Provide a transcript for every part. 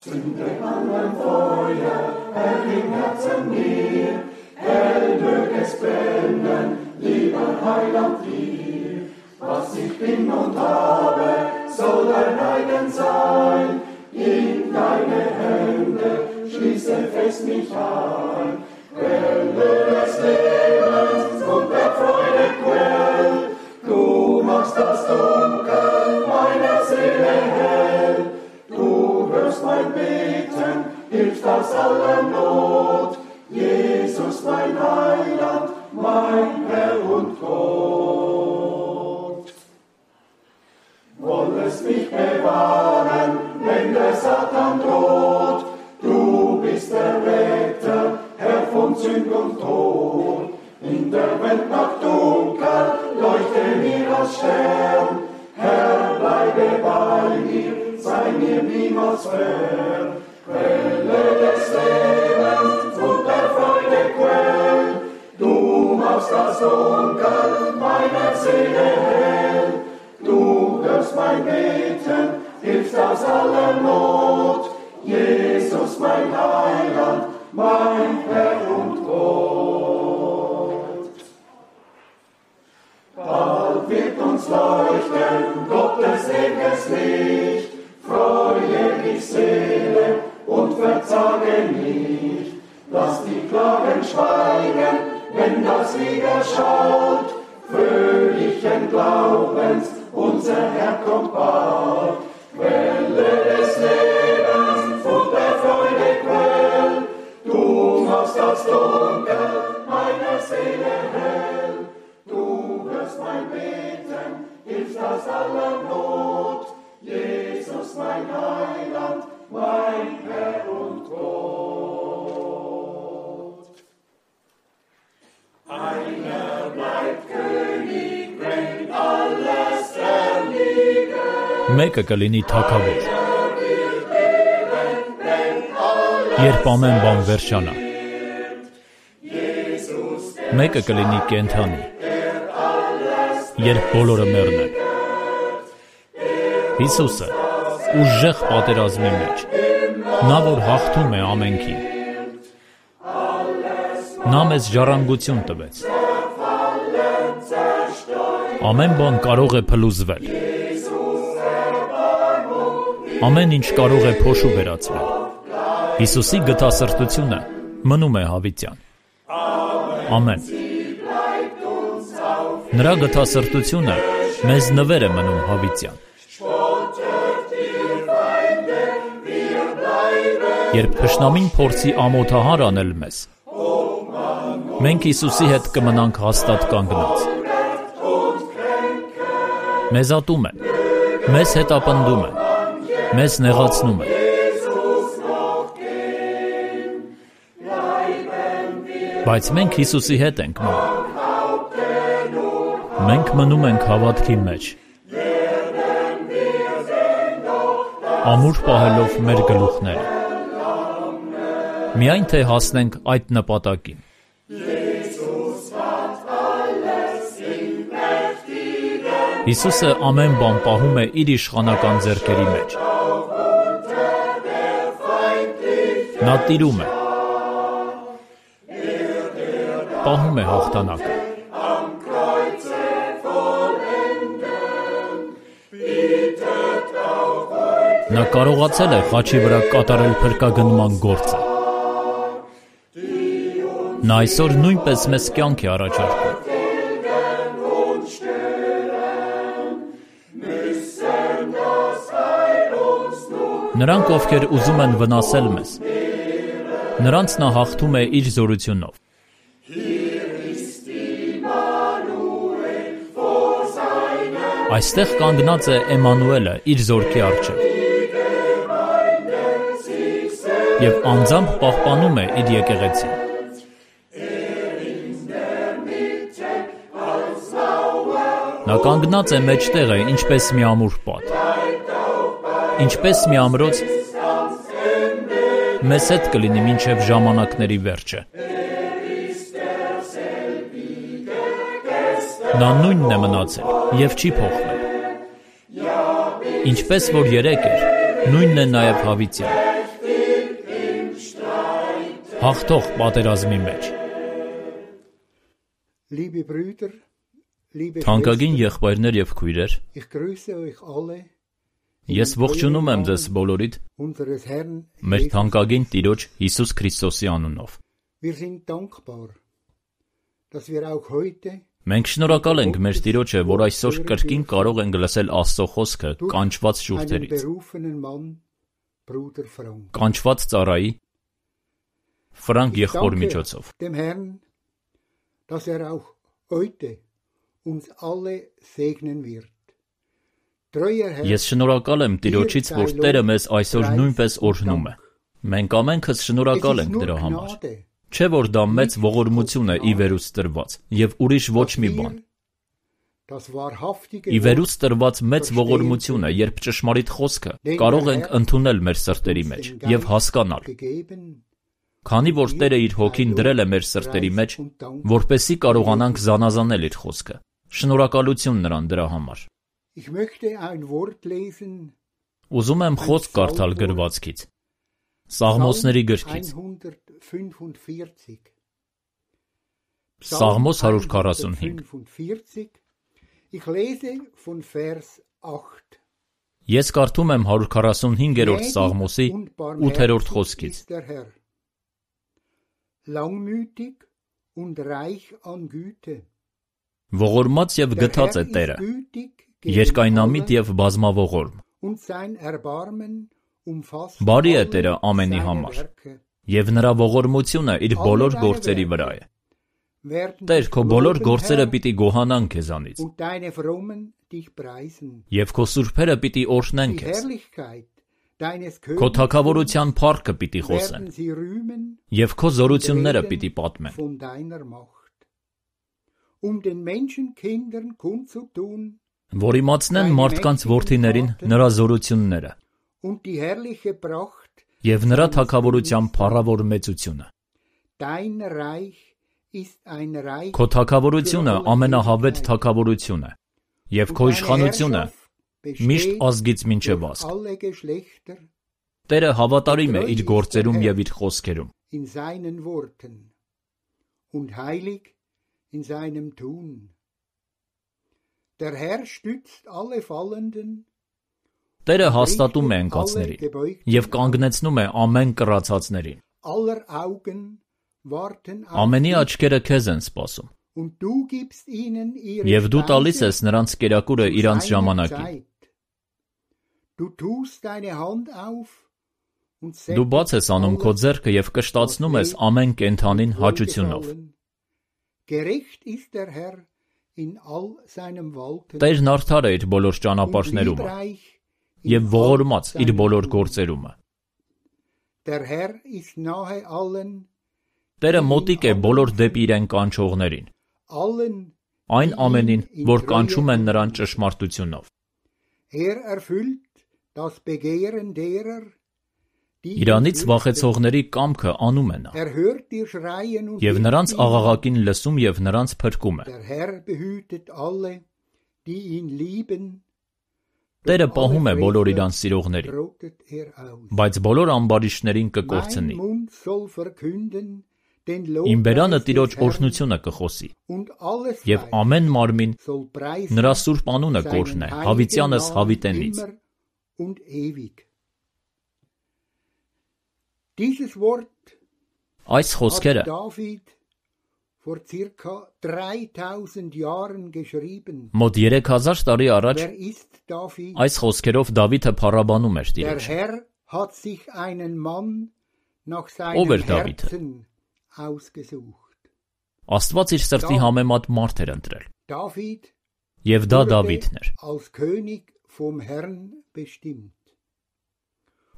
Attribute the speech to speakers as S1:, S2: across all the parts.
S1: Zünde an ein Feuer, Herr, im Herzen mir, hell mög es brennen, lieber Heiland dir. Was ich bin und habe, soll dein eigen sein, in deine Hände schließe fest mich ein. Quelle des Lebens und der Freude Quell, du machst das Dunkel meiner Seele hell. Du hörst mein Beten, hilfst aus aller Not, Jesus mein Heiland, mein Herr und Gott. Wollest mich bewahren, wenn der Satan droht, du bist der Retter, Herr von Sünd und Tod. In der Welt Nacht dunkel, leuchte mir als Stern, Herr, bleibe bei mir, sei mir niemals fern. Quelle des Lebens und der Freude Quell, du machst das Dunkel meiner Seele hell. Du hörst mein Beten, hilfst aus aller Not, Jesus mein Heiland, mein Herr und Gott. Bald wird uns leuchten Gottes ewiges Licht, freue dich Seele und verzage nicht. Lass die Klagen schweigen, wenn das Lied erschallt, fröhlichen Glaubens, unser Herr kommt bald. Quelle des Lebens und der Freude Quell, du machst das Dunkel meiner Seele hell. Du hörst mein Beten, hilfst aus aller Not, Jesus mein Heiland, mein Herr und Gott. Einer bleibt König, wenn alles erliegt.
S2: Մեկը կլինի թագավոր, երբ ամեն բան վերջանա։ Մեկը կլինի կենդանի, երբ բոլորը մեռնեն։ Հիսուսը ուժեղ պատերազմի մեջ, նա որ հաղթում է ամենքին։ Նա մեզ ժառանգություն տվեց։ Ամեն բան կարող է փլուզվել։ Ամեն ինչ կարող է փոշու վերածվել։ Հիսուսի գթասրտությունը մնում է հավիտյան։ Ամեն։ Նրա գթասրտությունը մեզ նվեր է մնում հավիտյան։ Երբ թշնամին փորձի ամոթահար անել մեզ, մենք Հիսուսի հետ կմնանք հաստատ կանգնած։ Մեզ ատում են, մեզ հետապնդում են, մեզ նեղացնում են։ Բայց մենք Հիսուսի հետ ենք մնում։ Մենք մնում ենք հավատքի մեջ, ամուր պահելով մեր գլուխները, միայն թե հասնենք այդ նպատակին։ Հիսուսը ամեն բան պահում է իր իշխանական ձեռքերի մեջ։ Նա տիրում է, պահում է հաղթանակը։ Նա կարողացել է խաչի վրա կատարել փրկագնման գործը։ Նա այսօր նույնպես մեզ կյանք է առաջարկում։ Նրանք, ովքեր ուզում են վնասել մեզ, նրանց նա հաղթում է իր զորությունով։ Այստեղ կանգնած է Էմանուելը իր զորքի առջև և անձամբ պահպանում է իր եկեղեցին։ Նա կանգնած է մեջտեղը, ինչպես մի ամուր պատ, ինչպես մի ամրոց մեզ հետ կլինի մինչև ժամանակների վերջը։ Նա նույնն է մնացել և չի փոխվել։ Ինչպես որ երեկ էր, նույնն է նաև հավիտյան։ Հաղթող պատերազմի մեջ։
S1: Liebe Brüder, liebe
S2: Թանկագին
S1: Schwestern,
S2: եղբայրներ եւ քույրեր,
S1: ich grüße euch alle
S2: ես ողջունում եմ ձեզ բոլորիդ
S1: unseres Herrn
S2: մեր
S1: Jesus.
S2: թանկագին Տիրոջ Հիսուս Քրիստոսի անունով։
S1: Wir sind dankbar, dass wir auch heute
S2: Մենք շնորհակալ ենք մեր Տիրոջը, որ այսօր կրկին կարող ենք լսել Աստծո խոսքը կանչված
S1: einen
S2: շուրթերից,
S1: berufenen Mann, Bruder Frank.
S2: կանչված ծառայի Ֆրանկ
S1: Ich
S2: եղբոր
S1: danke
S2: միջոցով։
S1: dem Herrn, dass auch heute uns alle segnen wird. Treuer Herr,
S2: Ես շնորհակալ եմ Տիրոջից, որ Տերը մեզ այսօր նույնպես օրհնում է։ Մենք ամենքս շնորհակալ
S1: es ist
S2: ենք
S1: nur
S2: դրա համար։
S1: Gnade,
S2: Չէ՞ որ դա մեծ ողորմություն է ի վերուց տրված, եւ ուրիշ ոչ մի բան։
S1: das wahrhaftige
S2: Ի վերուց տրված մեծ ողորմություն է, երբ ճշմարիտ խոսքը կարող ենք ընդունել մեր սրտերի մեջ եւ հասկանալ,
S1: gegeben,
S2: քանի որ Տերը իր հոգին դրել է մեր սրտերի մեջ, որպեսզի կարողանանք զանազանել իր խոսքը։ Շնորհակալություն նրան դրա համար։
S1: Ich möchte ein Wort lesen,
S2: Ուզում եմ խոսք կարդալ գրվածքից։ Սաղմոսների գրքից։
S1: 145.
S2: Սաղմոս 145։
S1: 145. Ich lese von Vers 8.
S2: Ես կարդում եմ 145-րդ Սաղմոսի
S1: Gnädig und
S2: 8-րդ
S1: barmherzig
S2: խոսքից։
S1: ist der Herr, langmütig und reich an Güte.
S2: Ողորմած եւ
S1: Der
S2: գթած է
S1: Herr
S2: Տերը,
S1: ist gütig gegen
S2: երկայնամիտ
S1: alle
S2: եւ բազմավողորմ։
S1: und sein Erbarmen umfasst
S2: Բարի է
S1: alle
S2: Տերը ամենի
S1: seine
S2: համար,
S1: Werke.
S2: եւ նրա ողորմությունը իր բոլոր գործերի վրա է։
S1: Werden
S2: Տեր,
S1: dich
S2: քո բոլոր
S1: loben,
S2: գործերը
S1: Herr,
S2: պիտի գոհանան քեզանից,
S1: und deine Frommen dich preisen.
S2: եւ քո սուրբերը պիտի օրհնեն
S1: Die
S2: քեզ։
S1: Herrlichkeit deines
S2: Քո
S1: Königtums
S2: թագավորության փառքը պիտի խոսեն,
S1: werden sie rühmen
S2: եւ քո զորությունները
S1: reden
S2: պիտի պատմեն,
S1: von deiner Macht. Den Menschenkindern kundzutun
S2: որ իմացնեն մարդկանց որդիներին նրա զորությունները
S1: und die herrliche Pracht,
S2: եւ նրա թագավորության փառավոր մեծությունը։
S1: dein Reich ist ein Reich
S2: Քո թագավորությունը ամենահավետ թագավորություն է, եւ քո իշխանությունը միշտ ազգից մինչև ազգ։
S1: alle Geschlechter
S2: Տերը հավատարիմ է իր գործերում եւ իր խոսքերում,
S1: in seinen Worten und heilig in seinem Tun. Der Herr stützt alle Fallenden,
S2: Տերը հաստատում է ընկածներին եւ կանգնեցնում է ամեն կռացածներին։
S1: aller Augen warten auf
S2: Ամենի
S1: dich,
S2: աչքերը քեզ են սպասում,
S1: und du gibst ihnen ihre
S2: եւ դու տալիս
S1: Speise
S2: ես նրանց կերակուրը
S1: zu
S2: իրանց
S1: seiner
S2: ժամանակին։
S1: Zeit. Du tust deine Hand auf und
S2: Դու բաց ես անում քո
S1: alles,
S2: ձեռքը եւ կշտացնում ես ամեն կենթանին հաճությունով։
S1: wohlgefallen. Gerecht ist der Herr in all seinem Walten
S2: Տերն արդար է իր բոլոր
S1: und
S2: ճանապարհներում
S1: liebreich
S2: եւ
S1: in
S2: ողորմած
S1: all
S2: իր
S1: seinen
S2: բոլոր
S1: Tun.
S2: գործերում։
S1: Der Herr ist nahe allen,
S2: Տերը մոտիկ է բոլոր դեպի իրեն կանչողներին,
S1: allen,
S2: այն
S1: die
S2: ամենին,
S1: ihn in
S2: որ
S1: Treue
S2: կանչում են նրան
S1: anbeten.
S2: ճշմարտությունով։
S1: Erfüllt das Begehren derer, die ihn
S2: Իրանից
S1: fürchten.
S2: վախեցողների կամքը անում է նա,
S1: Hört ihr Schreien und
S2: եւ
S1: hilft
S2: նրանց
S1: ihnen.
S2: աղաղակին լսում եւ նրանց փրկում է։
S1: Der Herr behütet alle, die ihn lieben.
S2: Տերը
S1: Doch
S2: պահում է
S1: alle
S2: բոլոր
S1: Frevler
S2: իրան սիրողներին,
S1: rottet aus.
S2: բայց բոլոր ամբարիշտներին
S1: Mein
S2: կկորցնի։
S1: Mund soll verkünden den
S2: Իմ բերանը
S1: Lobpreis
S2: Տիրոջ
S1: des Herrn,
S2: օրհնությունը կխոսի,
S1: und alles
S2: եւ
S1: Fleisch
S2: ամեն մարմին
S1: soll preisen
S2: նրա սուրբ անունը
S1: seinen
S2: կօրհնե,
S1: heiligen
S2: հավիտյանս
S1: Namen
S2: հավիտենից։
S1: immer und ewig. Dieses Wort
S2: Այս խոսքերը
S1: hat David vor circa 3000 Jahren geschrieben.
S2: մոտ 3000 տարի առաջ
S1: Wer ist David?
S2: այս խոսքերով Դավիթը փառաբանում էր
S1: Der
S2: Տիրոջը։
S1: Herr hat sich einen Mann nach
S2: Ով էր
S1: seinem
S2: Դավիթը։
S1: Herzen ausgesucht.
S2: Աստված իր սրտի համեմատ մարդ էր ընտրել,
S1: David
S2: եւ դա
S1: wurde
S2: Դավիթն էր։
S1: als König vom Herrn bestimmt.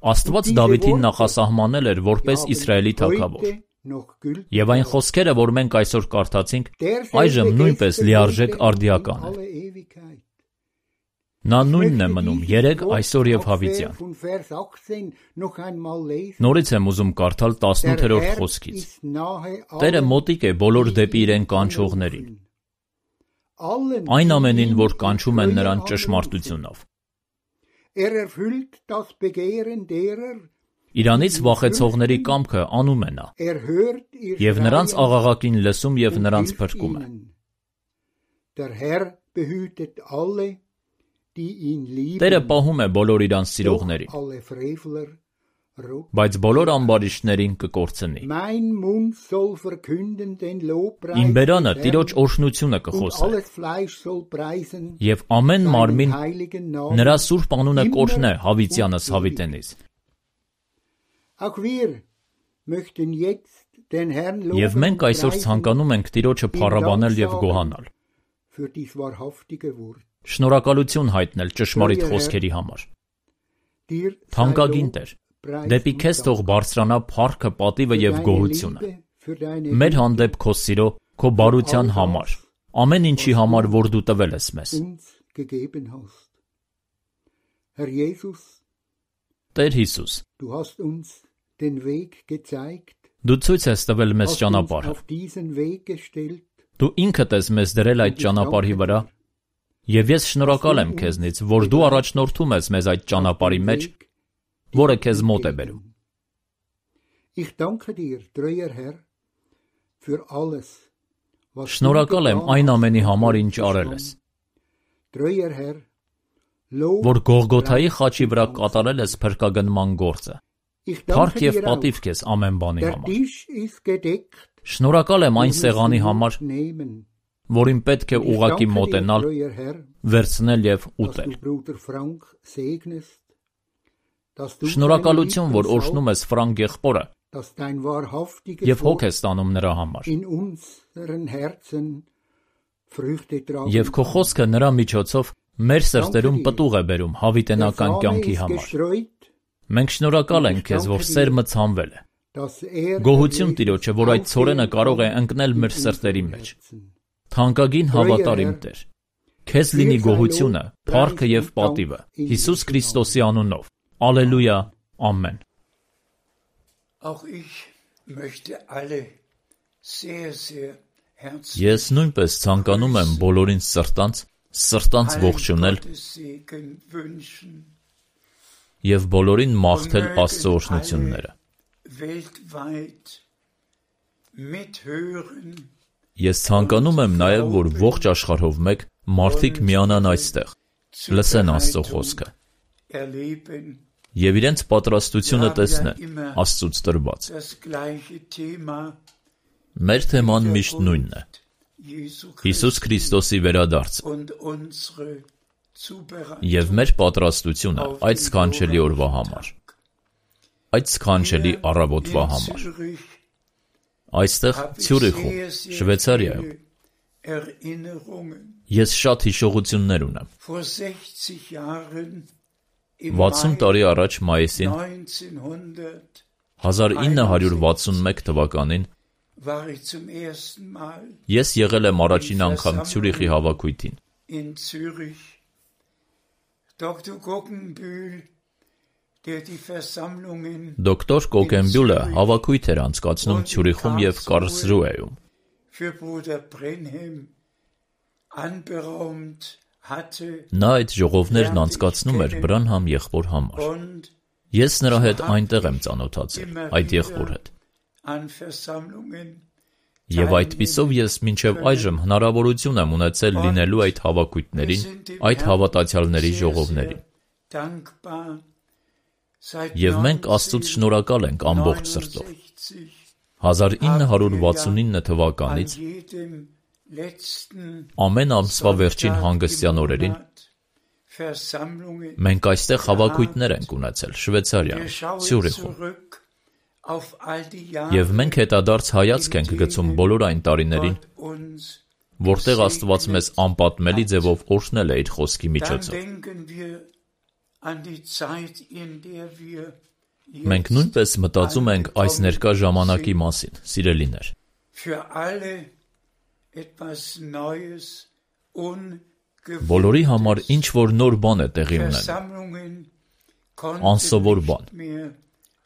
S2: Աստված Դավիթին նախասահմանել էր որպես
S1: Die haben
S2: Իսրայելի թագավոր։
S1: heute noch gültig.
S2: Եվ այն խոսքերը, որ մենք այսօր կարդացինք,
S1: Derselbe
S2: այժմ նույնպես
S1: gestern,
S2: լիարժեք
S1: heute und in
S2: արդիական է։
S1: alle Ewigkeit.
S2: Նա նույնն է
S1: Möchte
S2: մնում
S1: dieses
S2: երեք,
S1: Wort
S2: այսօր եւ
S1: auf
S2: հավիտյան։
S1: von Vers 18 noch einmal lesen.
S2: Նորից եմ ուզում կարդալ
S1: Der
S2: 18-րդ
S1: Herr
S2: խոսքից։
S1: ist nahe
S2: Տերը
S1: allen,
S2: մոտիկ է բոլոր
S1: die
S2: դեպի
S1: ihn
S2: իրեն կանչողներին,
S1: anrufen. Allen,
S2: այն
S1: die
S2: ամենին,
S1: ihn
S2: որ
S1: in
S2: կանչում են
S1: Treue
S2: նրան
S1: anrufen.
S2: ճշմարտությունով։
S1: Erfüllt das Begehren derer,
S2: Իրանից վախեցողների կամքը անում է նա, և նրանց աղաղակին լսում և նրանց փրկում է։ Տերը պահում է բոլոր իրան սիրողներին, բայց բոլոր ամբարիշտներին կկորցնի։ Իմ բերանը Տիրոջ օրհնությունը կխոսե, և ամեն մարմին նրա սուրբ անունը կօրհնե հավիտյանս հավիտենից։ Եվ մենք այսօր ցանկանում ենք Տիրոջը փառաբանել և գոհանալ, շնորհակալություն հայտնել ճշմարիտ խոսքերի համար։ Թանկագին Տեր, դեպի քեզ թող բարձրանա փառքը, պատիվը և գոհությունը մեր հանդեպ քո սիրո, քո բարության համար, ամեն ինչի համար, որ դու տվել ես մեզ։ Տեր Հիսուս, դու ցույց ես տվել մեզ ճանապարհը, դու ինքդ ես մեզ դրել այդ ճանապարհի վրա, և ես շնորհակալ եմ քեզնից, որ դու առաջնորդում ես մեզ այդ ճանապարհի մեջ, որը քեզ մոտ է բերում։ Շնորհակալ եմ այն ամենի համար, ինչ արել ես, որ Գողգոթայի խաչի վրա կատարել ես փրկագնման գործը։ Փառք և պատիվ քեզ ամեն բանի համար։ Շնորհակալ եմ այն սեղանի համար, որին պետք է ուղղակի մոտենալ, վերցնել և ուտել։ Շնորհակալություն, որ օրհնում ես Ֆրանկ եղբորը և հոգ ես տանում նրա համար։ Եվ քո խոսքը նրա միջոցով մեր սրտերում պտուղ է բերում հավիտենական կյանքի համար։ Մենք շնորհակալ ենք քեզ, որ սերմը ցանվել է։ Գոհություն Տիրոջը, որ այդ ցորենը կարող է ընկնել մեր սրտերի մեջ։ Թանկագին հավատարիմ Տեր, քեզ լինի գոհությունը, փառքը և պատիվը Հիսուս Քրիստոսի անունով։ Ալելույա, ամեն։ Ես նույնպես ցանկանում եմ բոլորին սրտանց ողջունել և բոլորին մաղթել Աստծո օրհնությունները։ Ես ցանկանում եմ նաև, որ ողջ աշխարհով մեկ մարդիկ միանան այստեղ, լսեն Աստծո խոսքը և իրենց պատրաստությունը տեսնեն Աստծուց տրված։ Մեր թեման միշտ նույնն է՝ Հիսուս Քրիստոսի վերադարձը և մեր պատրաստությունը այդ սքանչելի օրվա համար, այդ սքանչելի առավոտվա համար։ Այստեղ Ցյուրիխում, Շվեյցարիայում, ես շատ հիշողություններ ունեմ։ 60 տարի առաջ մայիսին 1961 թվականին ես եղել եմ առաջին անգամ Ցյուրիխի հավաքույթին։ Դոկտոր Կոկենբյուլը հավաքույթ էր անցկացնում Ցյուրիխում և Կարլսրուհեում։ Նա այդ ժողովներն անցկացնում էր Բրանհամ եղբոր համար։ Ես նրա հետ այնտեղ եմ ծանոթացել, այդ եղբոր հետ։ Եվ այդպիսով ես մինչև այժմ հնարավորություն եմ ունեցել լինելու այդ հավաքույթներին, այդ հավատացյալների ժողովներին։ Եվ մենք Աստծուց շնորհակալ ենք ամբողջ սրտով։ 1969 թվականից ամեն ամսվա վերջին հանգստյան օրերին մենք այստեղ հավաքույթներ ենք ունեցել Շվեյցարիայում, Ցյուրիխում։ Եվ մենք հետադարձ հայացք ենք գցում բոլոր այն տարիներին, որտեղ Աստված մեզ անպատմելի ձևով օրհնել է իր խոսքի միջոցով։ Մենք նույնպես մտածում ենք այս ներկա ժամանակի մասին, սիրելիներ։ Բոլորի համար ինչ-որ նոր բան է տեղի ունենում, անսովոր բան։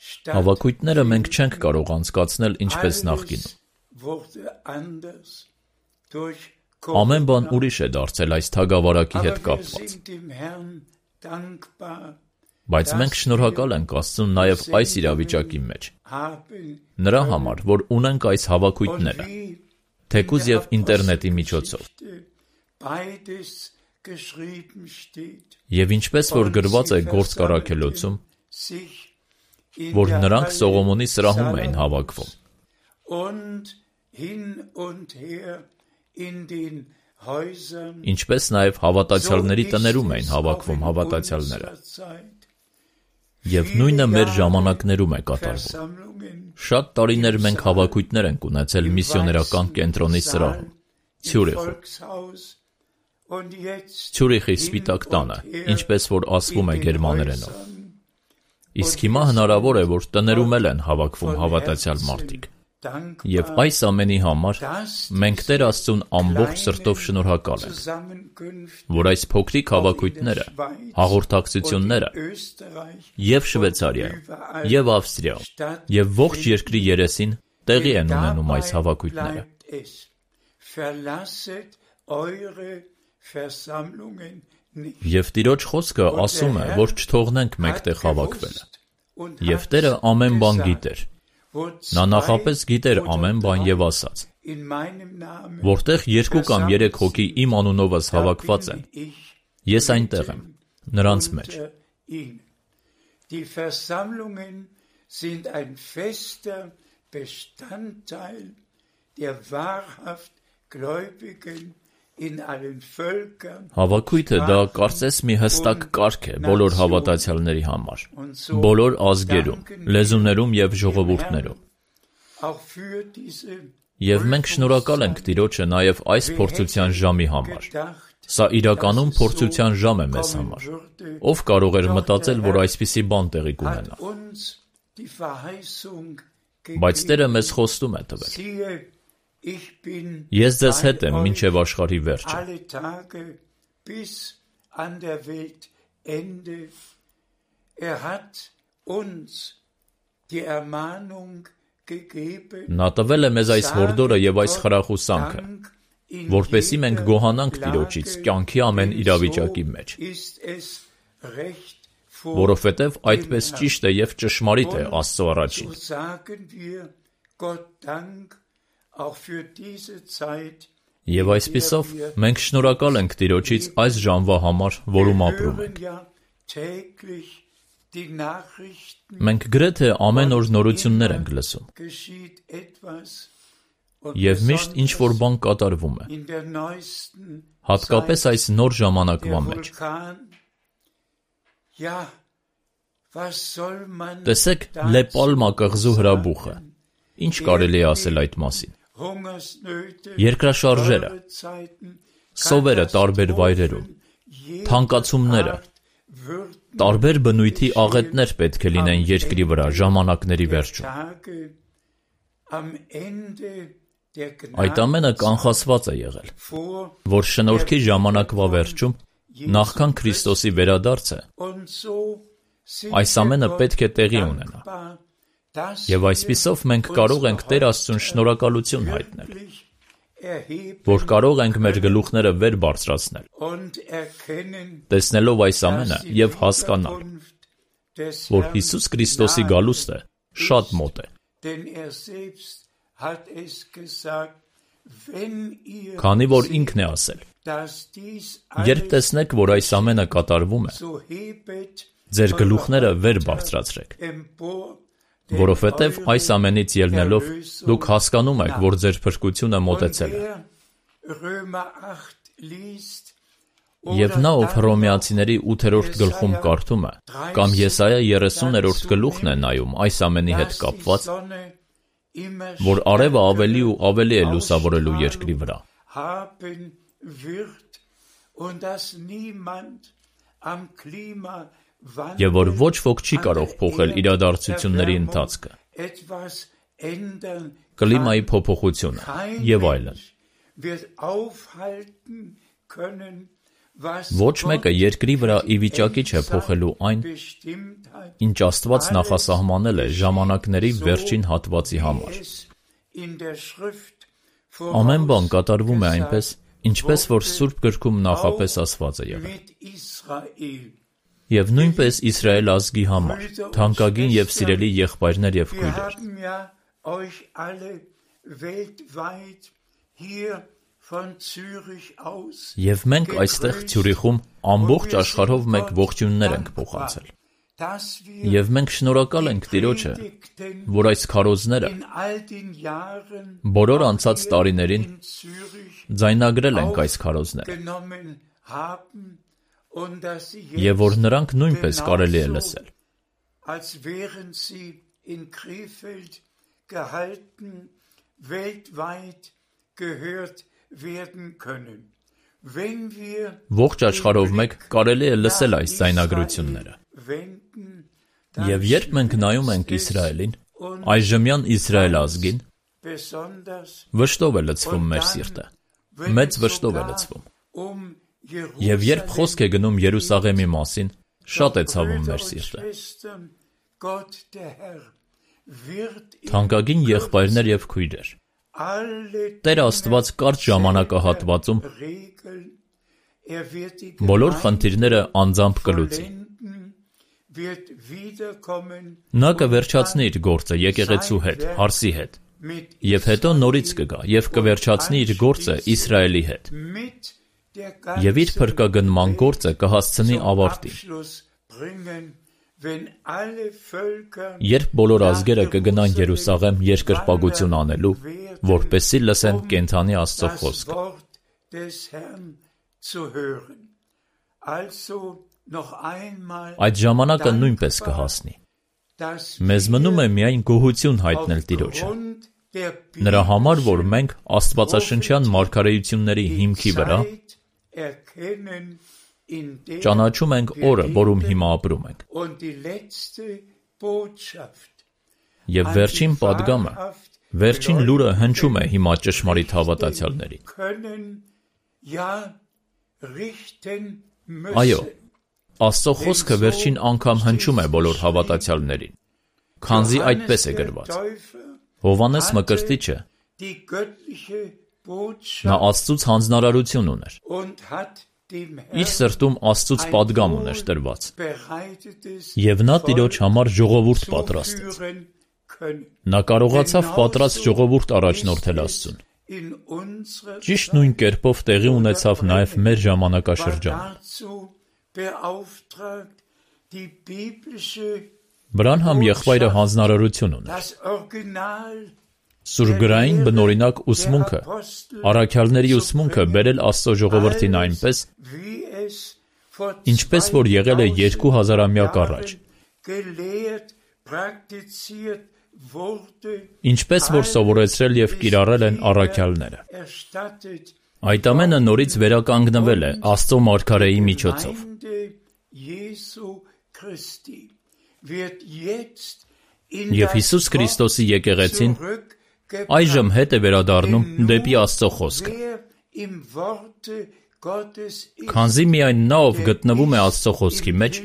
S2: Հավաքույթները մենք չենք կարող անցկացնել ինչպես նախկինում։ Ամեն բան ուրիշ է դարձել այս թագավարակի հետ կապված։ Բայց մենք շնորհակալ ենք Աստծուն նաև այս իրավիճակի մեջ, նրա համար, որ ունենք այս հավաքույթները, թեկուզ եւ ինտերնետի միջոցով։ Եվ ինչպես որ գրված է Գործք առաքելոցում, որ նրանք Սողոմոնի սրահում էին հավաքվում։ Ինչպես նաև հավատացյալների տներում էին հավաքվում հավատացյալները։ Եվ նույնը մեր ժամանակներում է կատարվում։ Շատ տարիներ մենք հավաքույթներ ենք ունեցել միսիոներական կենտրոնի սրահում, Ցյուրիխում։ Ցյուրիխի Սպիտակ տանը, ինչպես որ ասվում է գերմաներենով։ Իսկ հիմա հնարավոր է, որ տներում էլ են հավաքվում հավատացյալ մարդիկ։ Եվ այս ամենի համար մենք Տեր Աստծուն ամբողջ սրտով շնորհակալ ենք, որ այս փոքրիկ հավաքույթները, հաղորդակցությունները և Շվեյցարիայում, և Ավստրիայում, և ողջ երկրի երեսին տեղի են ունենում այս հավաքույթները։ Եվ Տիրոջ խոսքը ասում է, որ չթողնենք մեկտեղ հավաքվելը։ Եվ Տերը ամեն բան գիտեր։ Նա նախապես գիտեր ամեն բան և ասաց. որտեղ 2 կամ 3 հոգի իմ անունովս հավաքված են, ես այնտեղ եմ, նրանց մեջ։
S3: Die Versammlungen sind ein fester Bestandteil der wahrhaft Gläubigen in allen Völkern.
S2: Հավաքույթը դա կարծես մի հստակ կարգ է բոլոր հավատացյալների համար, բոլոր ազգերում, լեզուներում և ժողովուրդներում։ Եվ մենք շնորհակալ ենք Տիրոջը նաև այս փորձության ժամի համար։ Սա իրականում փորձության ժամ է մեզ համար։ Ով կարող էր մտածել, որ այսպիսի բան տեղի կունենա։ Բայց Տերը մեզ խոստում է տվել. Ես ձեզ հետ եմ մինչև աշխարհի վերջը։ Նա տվել է մեզ այս հորդորը և այս խրախուսանքը, որպեսզի մենք գոհանանք Տիրոջից կյանքի ամեն իրավիճակի մեջ, որովհետև այդպես ճիշտ է և ճշմարիտ է Աստծո առաջին։ Եվ այսպիսով մենք շնորհակալ ենք Տիրոջից այս ժամվա համար, որում ապրում ենք։ Մենք գրեթե ամեն օր նորություններ ենք լսում։ Եվ միշտ ինչ-որ բան կատարվում է, հատկապես այս նոր ժամանակվա մեջ։ Տեսեք Լե Պալմա կղզու հրաբուխը, ինչ կարելի է ասել այդ մասին։ Երկրաշարժերը, սովերը տարբեր վայրերում, թանկացումները, տարբեր բնույթի աղետներ պետք է լինեն երկրի վրա ժամանակների վերջում։ Այդ ամենը կանխատեսված է եղել, որ շնորհքի ժամանակվա վերջում, նախքան Քրիստոսի վերադարձը, այս ամենը պետք է տեղի ունենա։ Եվ այսպիսով մենք կարող ենք Տեր Աստծուն շնորհակալություն հայտնել, որ կարող ենք մեր գլուխները վեր բարձրացնել, տեսնելով այս ամենը և հասկանալ, որ Հիսուս Քրիստոսի գալուստը շատ մոտ է։ Քանի որ ինքն է ասել. երբ տեսնեք, որ այս ամենը կատարվում է, ձեր գլուխները վեր բարձրացրեք, որովհետև այս ամենից ելնելով դուք հասկանում եք, որ ձեր փրկությունը մոտեցել է։ Եվ նա, ով Հռոմեացիների 8-րդ գլխում կարդում է, կամ Եսայա 30-րդ գլուխն է նայում այս ամենի հետ կապված, որ արևը ավելի ու ավելի է լուսավորելու երկրի վրա։ Եվ որ ոչ ոք չի կարող փոխել իրադարձությունների ընթացքը, կլիմայի փոփոխությունը և այլն։ Ոչ մեկը երկրի վրա ի վիճակի չէ փոխելու այն, ինչ Աստված նախասահմանել է ժամանակների վերջին հատվածի համար։ Ամեն բան կատարվում է այնպես, ինչպես որ Սուրբ գրքում նախապես ասված է եղել։ Եվ նույնպես Իսրայել ազգի համար, թանկագին եւ սիրելի եղբայրներ եւ քույրեր։ Եվ մենք այստեղ Ցյուրիխում ամբողջ աշխարհով մեկ ողջույններ ենք փոխանցել։ Եվ մենք շնորհակալ ենք Տիրոջը, որ այս քարոզները բոլոր անցած տարիներին ձայնագրել ենք այս քարոզները, եւ որ նրանք նույնպես կարելի է լսել։ Ողջ աշխարհով մեկ կարելի է լսել այս ձայնագրությունները։ Եվ երբ մենք նայում ենք Իսրայելին, այժմյան Իսրայել ազգին, վշտով է լցվում մեր սիրտը, մեծ վշտով է լցվում։ Եվ երբ խոսք է գնում Երուսաղեմի մասին, շատ է ցավում մեր սիրտը։ Թանկագին եղբայրներ եւ քույրեր, Տեր Աստված կարճ ժամանակահատվածում բոլոր խնդիրները անձամբ կլուծի։ Նա կվերջացնի իր գործը եկեղեցու հետ, հարսի հետ, եւ հետո նորից կգա եւ կվերջացնի իր գործը Իսրայելի հետ։ Եվ իր փրկագնման գործը կհասցնի ավարտին։ Երբ բոլոր ազգերը կգնան Երուսաղեմ երկրպագություն անելու, որպեսզի լսեն կենդանի Աստծո խոսքը։ Այդ ժամանակը նույնպես կհասնի։ Մեզ մնում է միայն գոհություն հայտնել Տիրոջը։ Նրա համար, որ մենք աստվածաշնչյան մարգարեությունների հիմքի վրա ճանաչում ենք օրը, որում հիմա ապրում ենք։ Եվ վերջին պատգամը, վերջին լուրը հնչում է հիմա ճշմարիտ հավատացյալներին։ Այո, Աստծո խոսքը վերջին անգամ հնչում է բոլոր հավատացյալներին, քանզի այդպես է գրված։ Հովհաննես Մկրտիչը նա Աստծուց հանձնարարություն ուներ։ Իր սրտում Աստծուց պատգամ ուներ տրված։ Եվ նա Տիրոջ համար ժողովուրդ պատրաստեց։ Նա կարողացավ պատրաստ ժողովուրդ առաջնորդել Աստծուն։ Ճիշտ նույն կերպով տեղի ունեցավ նաև մեր ժամանակաշրջանում։ Բրանհամ եղբայրը հանձնարարություն ուներ։ Սուրգրային բնօրինակ ուսմունքը, առաքյալների ուսմունքը բերել Աստծո ժողովրդին այնպես, ինչպես որ եղել է 2000-ամյակ առաջ, ինչպես որ սովորեցրել և կիրառել են առաքյալները։ Այդ ամենը նորից վերականգնվել է Աստծո մարգարեի միջոցով։ Եվ Հիսուս Քրիստոսի եկեղեցին այժմ հետ է վերադառնում դեպի Աստծո խոսքը։ Քանզի միայն նա, ով գտնվում է Աստծո խոսքի մեջ,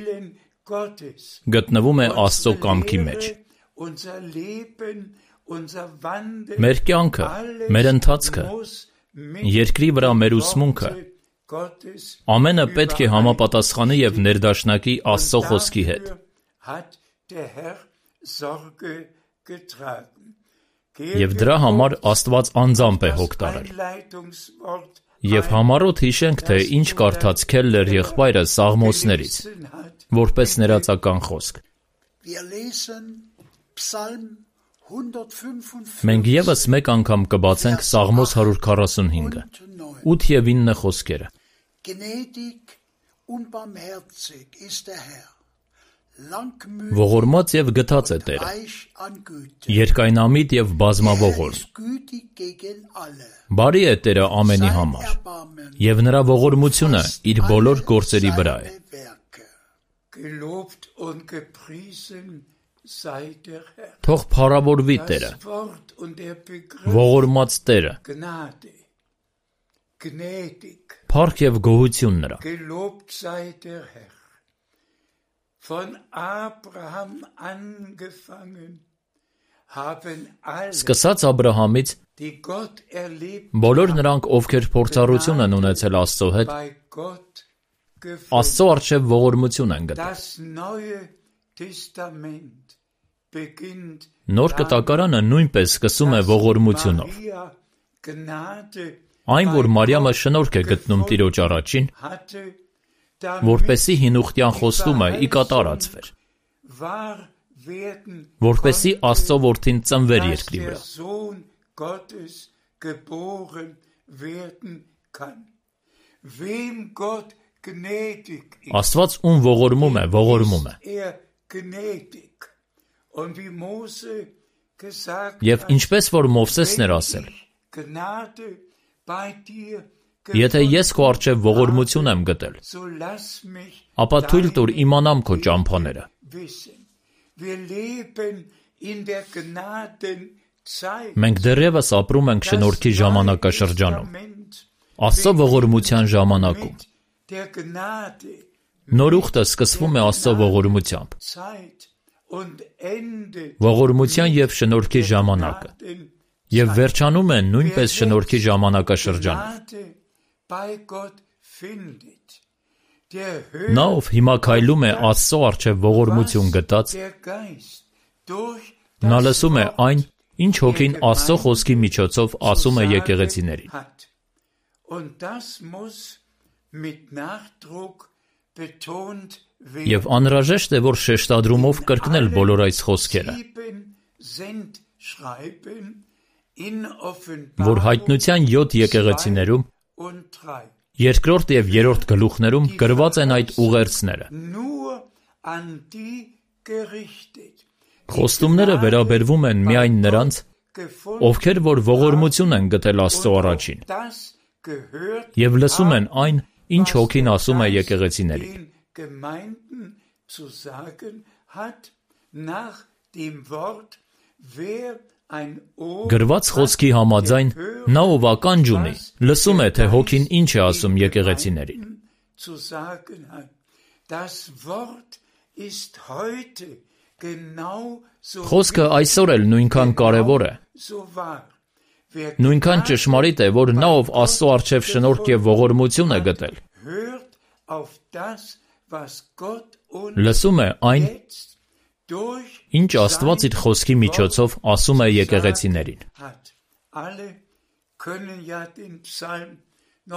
S2: գտնվում է Աստծո կամքի մեջ։ Մեր կյանքը, մեր ընթացքը, երկրի վրա մեր ուսմունքը, ամենը պետք է համապատասխանի և ներդաշնակի Աստծո խոսքի հետ։ Եվ դրա համար Աստված անձամբ է հոգ տարել։ Եվ համառոտ հիշենք, թե ինչ կարդաց Քելլեր եղբայրը Սաղմոսներից, որպես ներածական խոսք։ Մենք ևս մեկ անգամ կբացենք Սաղմոս 145-ը, 8 և 9 խոսքերը։ Ողորմած և գթած է Տերը, երկայնամիտ և բազմավորմ։ Բարի է Տերը ամենի համար, և նրա ողորմությունը իր բոլոր գործերի վրա է։ Թող փառավորվի Տերը, ողորմած Տերը, փառք և գոհություն նրա։ Սկսած Աբրահամից, բոլոր նրանք, ովքեր փորձառություն են ունեցել Աստծո հետ, Աստծո առջև ողորմություն են գտել։ Նոր կտակարանը նույնպես սկսում է ողորմությունով։ Այն, որ Մարիամը շնորհք է գտնում Տիրոջ առաջին, որպեսզի հինուխտյան խոստումը ի կատարածվեր, որպեսզի Աստծո որդին ծնվեր երկրի վրա։ Աստված ում ողորմում է, ողորմում է։ Եվ ինչպես որ Մովսեսն էր ասել. Եթե ես քո առջև ողորմություն եմ գտել, ապա թույլ տուր իմանամ քո ճամփաները։ Մենք դեռևս ապրում ենք շնորհքի ժամանակաշրջանում, Աստծո ողորմության ժամանակում։ Նոր ուխտը սկսվում է Աստծո ողորմությամբ։ Ողորմության և շնորհքի ժամանակը, և վերջանում է նույնպես շնորհքի ժամանակաշրջանով։ Նա, ով հիմա քայլում է Աստծո առջև ողորմություն գտած, նա լսում է այն, ինչ Հոգին Աստծո խոսքի միջոցով ասում է եկեղեցիներին։ Եվ անհրաժեշտ է, որ շեշտադրումով կրկնել բոլոր այս խոսքերը, որ Հայտնության 7 եկեղեցիներում, երկրորդ և երրորդ գլուխներում գրված են այդ ուղերձները։ Խոստումները վերաբերվում են միայն նրանց, ովքեր որ ողորմություն են գտել Աստծո առաջին, և լսում են այն, ինչ Հոգին ասում է եկեղեցիներին։ Գրված խոսքի համաձայն, նա ով ականջ ունի, լսում է, թե Հոգին ինչ է ասում եկեղեցիներին։ Խոսքը այսօր էլ նույնքան կարևոր է, նույնքան ճշմարիտ է, որ նա ով Աստծո առջև շնորհք և ողորմություն է գտել, լսում է այն, ինչ Աստված իր խոսքի միջոցով ասում է եկեղեցիներին։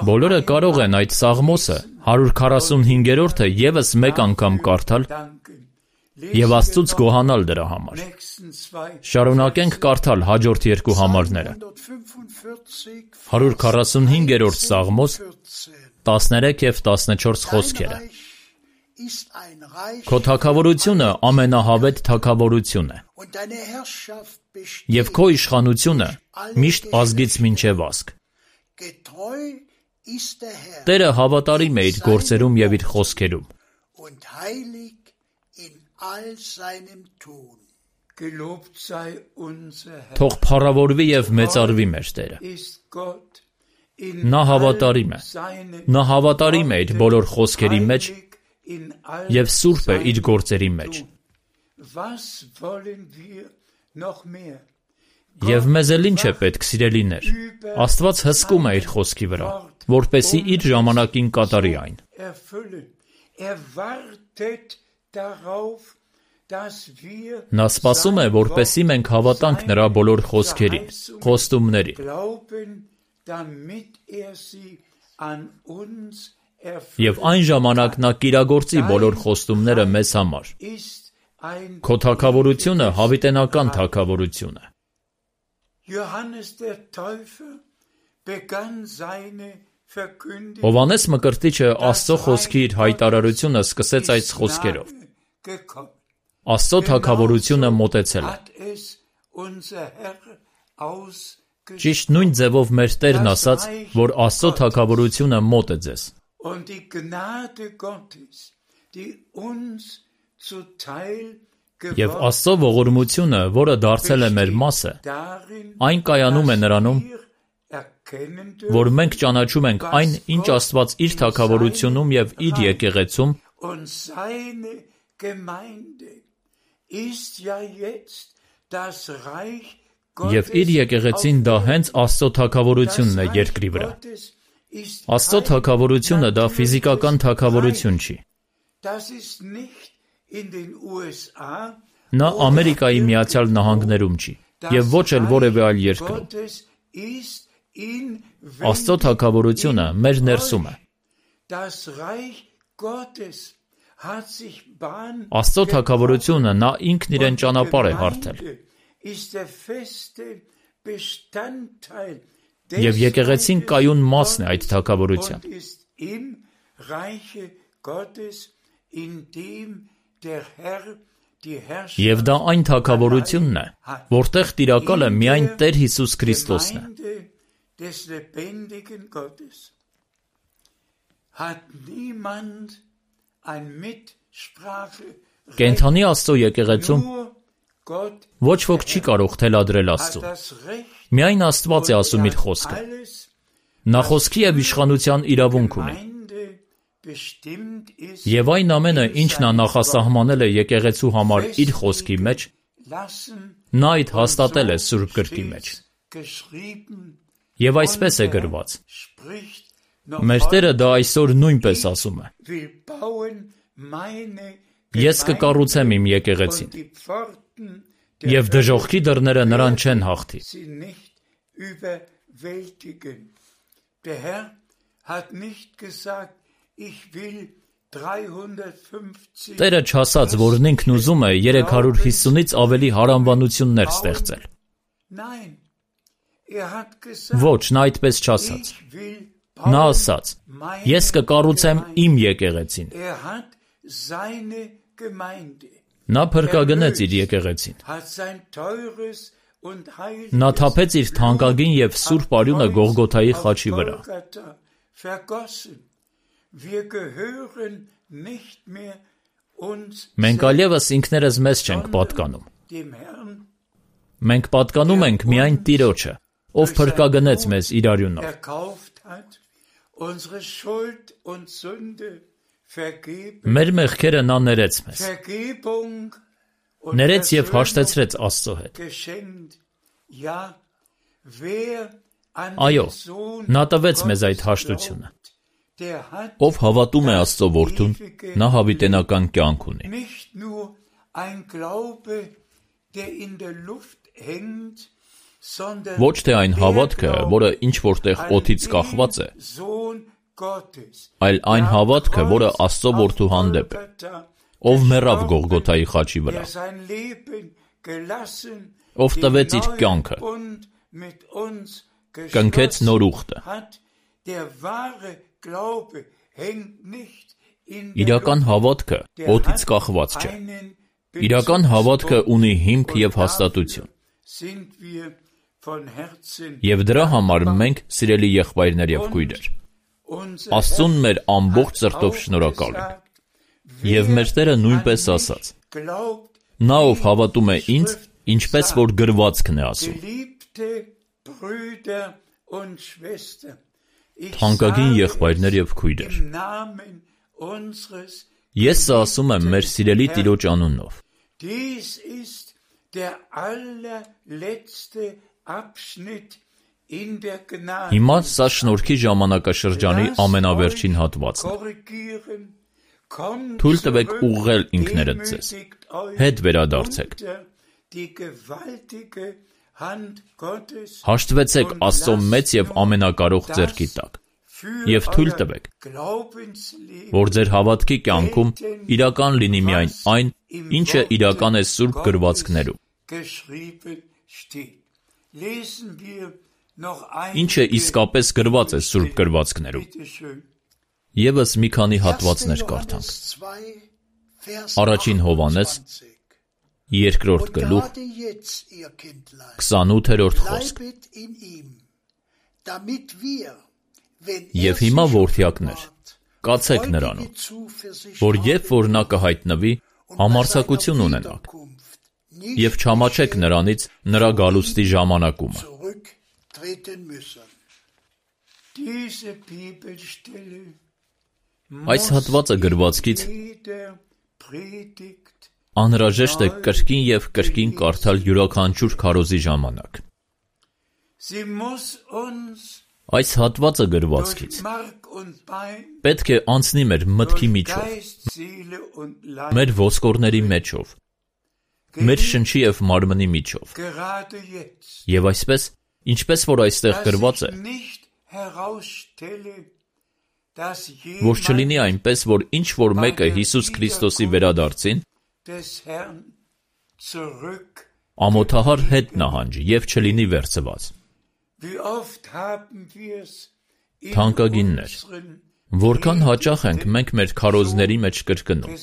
S2: Բոլորը կարող են այդ Սաղմոսը 145-րդը ևս մեկ անգամ կարդալ և Աստծուց գոհանալ դրա համար։ Շարունակենք կարդալ հաջորդ երկու համարները։ 145-րդ Սաղմոս 13 և 14 խոսքերը։ Քո թագավորությունը ամենահավետ թագավորություն է, և քո իշխանությունը միշտ ազգից մինչև ազգ։ Տերը հավատարիմ է իր գործերում և իր խոսքերում։ Թող փառավորվի և մեծարվի մեր Տերը։ Նա հավատարիմ է։ Նա հավատարիմ է իր բոլոր խոսքերի մեջ և սուրբ է իր գործերի մեջ։ Եվ մեզ էլ ինչ է պետք, սիրելիներ։ Աստված հսկում է իր խոսքի վրա, որպեսզի իր ժամանակին կատարի այն։ Նա սպասում է, որպեսզի մենք հավատանք նրա բոլոր խոսքերին, խոստումներին։ Եվ այն ժամանակ նա կիրագործի բոլոր խոստումները մեզ համար։ Քո թագավորությունը հավիտենական թագավորություն է։ Հովհաննես Մկրտիչը Աստծո խոսքի իր հայտարարությունը սկսեց այս խոսքերով. Աստծո թագավորությունը մոտեցել է։ Ճիշտ նույն ձևով մեր Տերն ասաց, որ Աստծո թագավորությունը մոտ է ձեզ։ Եվ Աստծո ողորմությունը, որը դարձել է մեր մասը, այն կայանում է նրանում, որ մենք ճանաչում ենք այն, ինչ Աստված իր թագավորությունում և իր եկեղեցում և իր եկեղեցին դա հենց Աստծո թագավորությունն է երկրի վրա։ Աստծո թագավորությունը դա ֆիզիկական թագավորություն չի։ Նա Ամերիկայի Միացյալ Նահանգներում չի եւ ոչ էլ որևէ այլ երկրում։ Աստծո թագավորությունը մեր ներսում է։ Աստծո թագավորությունը նա ինքն իրեն ճանապարհ է հարթել։ Եվ եկեղեցին կայուն մասն է այդ թագավորության։ Եվ դա այն թագավորությունն է, որտեղ տիրակալը միայն Տեր Հիսուս Քրիստոսն է։ Կենդանի Աստծո եկեղեցում ոչ ոք չի կարող թելադրել Աստծուն։ Միայն Աստված է ասում իր խոսքը։ Նա խոսքի եւ իշխանության իրավունք ունի։ Եվ այն ամենը, ինչ նա նախասահմանել է եկեղեցու համար իր խոսքի մեջ, նա այդ հաստատել է Սուրբ Գրքի մեջ։ Եվ այսպես է գրված. մեր Տերը դա այսօր նույնպես ասում է. ես կկառուցեմ իմ եկեղեցին, եւ դժոխքի դռները նրան չեն հաղթի։ Տերը չասաց, որ ինքն ուզում է 350-ից ավելի հարանվանություններ ստեղծել։ Ոչ, նա այդպես չասաց։ Նա ասաց. ես կկառուցեմ իմ եկեղեցին։ Նա փրկագնեց իր եկեղեցին։ Նա թափեց իր թանկագին եւ սուրբ արյունը Գողգոթայի խաչի վրա։ Մենք այլևս ինքներս մեզ չենք պատկանում։ Մենք պատկանում ենք միայն Տիրոջը, ով փրկագնեց մեզ իր արյունով։ Մեր մեղքերը նա ներեց մեզ։ Ներեց եւ հաշտեցրեց Աստծո հետ։ Այո, նա տվեց մեզ այդ հաշտությունը։ Ով հավատում է Աստծո որդուն, նա հավիտենական կյանք ունի։ Ոչ թե այն հավատքը, որը ինչ որտեղ օդից կախված է, այլ այն հավատքը, որը Աստծո որդու հանդեպ է, ով մեռավ Գողգոթայի խաչի վրա, ով տվեց իր կյանքը, կնքեց նոր ուխտը։ Իրական հավատքը օդից կախված չէ։ Իրական հավատքը ունի հիմք եւ հաստատություն։ Եվ դրա համար մենք, սիրելի եղբայրներ եւ քույրեր, Աստծուն մեր ամբողջ սրտով շնորհակալ ենք։ Եվ մեր Տերը նույնպես ասաց. նա ով հավատում է ինձ, ինչպես որ գրվածքն է ասում։ Թանկագին եղբայրներ եւ քույրեր, ես սա ասում եմ մեր սիրելի Տիրոջ անունով։ Հիմա սա շնորհքի ժամանակաշրջանի ամենավերջին հատվածն է։ Թույլ տվեք ուղղել ինքներդ ձեզ, հետ վերադարձեք։ Հաշտվեցեք Աստծո մեծ եւ ամենակարող ձեռքի տակ եւ թույլ տվեք, որ ձեր հավատքի կյանքում իրական լինի միայն այն, ինչը իրական է սուրբ գրվածքներում։ Ինչը իսկապես գրված է սուրբ գրվածքներում։ Եվս մի քանի հատվածներ կարդանք։ Առաջին Հովհաննես 2-րդ գլուխ 28-րդ խոսք։ Եվ հիմա որդյակներ, կացեք նրանում, որ երբ որ նա կհայտնվի, համարձակություն ունենաք, եւ չամաչեք նրանից նրա գալուստի ժամանակումը։ Այս հատվածը գրվածքից անհրաժեշտ է կրկին եւ կրկին կարդալ յուրաքանչյուր քարոզի ժամանակ։ Այս հատվածը գրվածքից պետք է անցնի մեր մտքի միջով, մեր ոսկորների մեջով, մեր շնչի և մարմնի միջով, և այսպես, ինչպես որ այստեղ գրված է, որ չլինի այնպես, որ ինչ-որ մեկը Հիսուս Քրիստոսի վերադարձին ամոթահար հետ նահանջի և չլինի վերցված։ Թանկագիններ, որքան հաճախ ենք մենք մեր քարոզների մեջ կրկնում.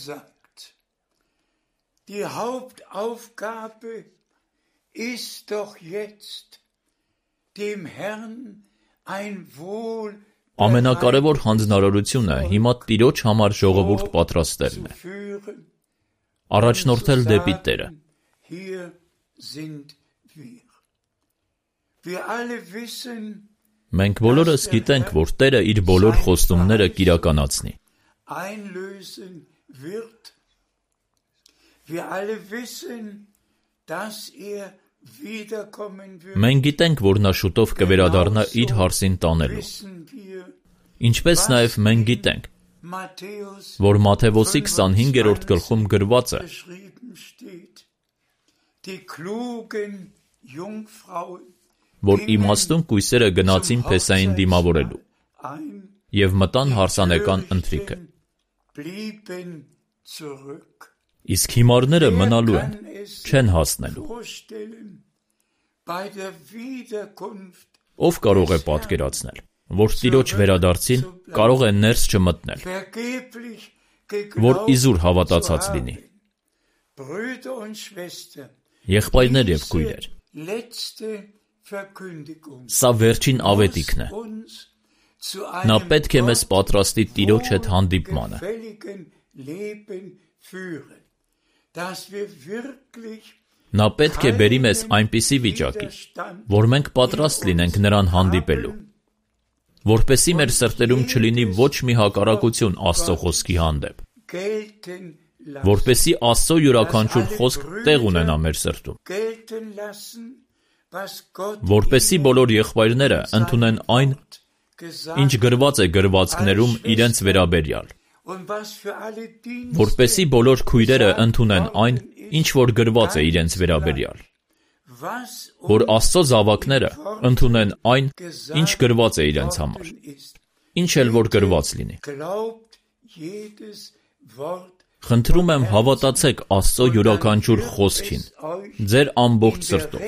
S2: Ամենակարևոր հանձնարարությունը հիմա Տիրոջ համար ժողովուրդ պատրաստելն է, առաջնորդել դեպի Տերը։ Մենք բոլորս գիտենք, որ Տերը իր բոլոր խոստումները կիրականացնի։ Մենք գիտենք, որ նա շուտով կվերադառնա իր հարսին տանելու։ Ինչպես նաև մենք գիտենք, որ Մատթեոսի 25-րդ գլխում գրված է. որ իմաստուն կույսերը գնացին Փեսային դիմավորելու և մտան հարսանեկան ընթրիքը։ Իսկ հիմարները մնալու են, չեն հասնելու։ Ով կարող է պատկերացնել, որ Տիրոջ վերադարձին կարող է ներս չմտնել, որ իզուր հավատացած լինի։ Եղբայրներ և քույրեր, սա վերջին ավետիքն է։ Նա պետք է մեզ պատրաստի Տիրոջ հետ հանդիպմանը։ Նա պետք է բերի մեզ այնպիսի վիճակի, որ մենք պատրաստ լինենք նրան հանդիպելու, որպեսզի մեր սրտերում չլինի ոչ մի հակառակություն Աստծո խոսքի հանդեպ, որպեսզի Աստծո յուրաքանչյուր խոսք տեղ ունենա մեր սրտում, որպեսզի բոլոր եղբայրները ընդունեն այն, ինչ գրված է գրվածքներում իրենց վերաբերյալ, որպեսզի բոլոր քույրերը ընդունեն այն, ինչ որ գրված է իրենց վերաբերյալ, որ Աստծո զավակները ընդունեն այն, ինչ գրված է իրենց համար, ինչ էլ որ գրված լինի։ Խնդրում եմ հավատացեք Աստծո յուրաքանչյուր խոսքին, ձեր ամբողջ սրտով,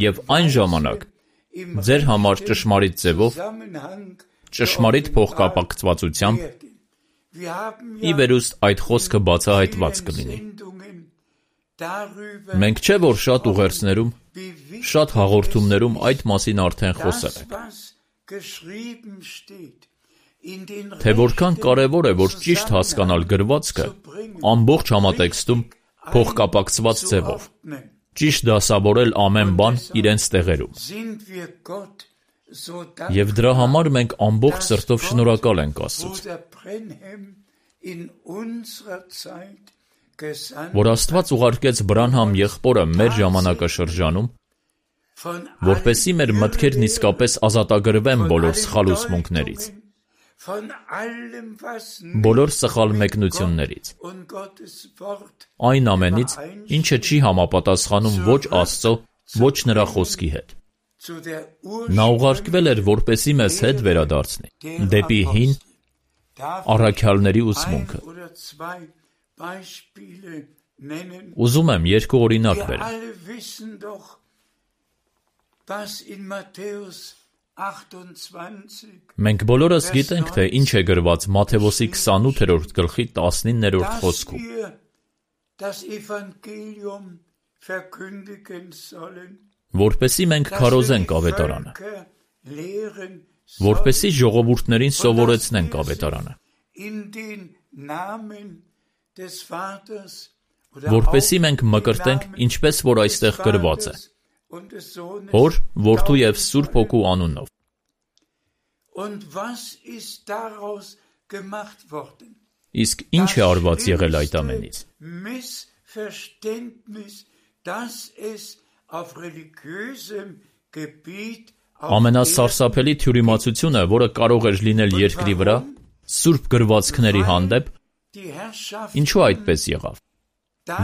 S2: և այն ժամանակ ձեր համար ճշմարիտ ձևով, ճշմարիտ փոխկապակցվածությամբ ի վերուստ այդ խոսքը բացահայտված կլինի։ Մենք չէ, որ շատ ուղերձներում, շատ հաղորդումներում այդ մասին արդեն խոսել ենք։ Թե որքան կարևոր է, որ ճիշտ հասկանալ գրվածքը ամբողջ համատեքստում փոխկապակցված ձևով, ճիշտ դասավորել ամեն բան իրենց տեղերում։ Եվ դրա համար մենք ամբողջ սրտով շնորհակալ ենք Աստծուց, որ Աստված ուղարկեց Բրանհամ եղբորը մեր ժամանակաշրջանում, որպեսզի մեր մտքերն իսկապես ազատագրվեն բոլոր սխալ ուսմունքներից, բոլոր սխալ մեկնություններից, այն ամենից, ինչը չի համապատասխանում ոչ Աստծո, ոչ նրա խոսքի հետ։ Նա ուղարկվել էր, որպեսզի մեզ հետ վերադարձնի դեպի հին առաքյալների ուսմունքը։ Ուզում եմ երկու օրինակ բերեմ։ Մենք բոլորս գիտենք, թե ինչ է գրված Մատթեոսի 28-րդ գլխի 19-րդ խոսքում, որպեսզի մենք քարոզենք ավետարանը, որպեսզի ժողովուրդներին սովորեցնենք ավետարանը, որպեսզի մենք մկրտենք, ինչպես որ այստեղ գրված է, Հոր, Որդու և Սուրբ Հոգու անունով։ Իսկ ինչ է արված եղել այդ ամենից։ Ամենասարսափելի թյուրիմացությունը, որը կարող էր լինել երկրի վրա, սուրբ գրվածքների հանդեպ, ինչու այդպես եղավ։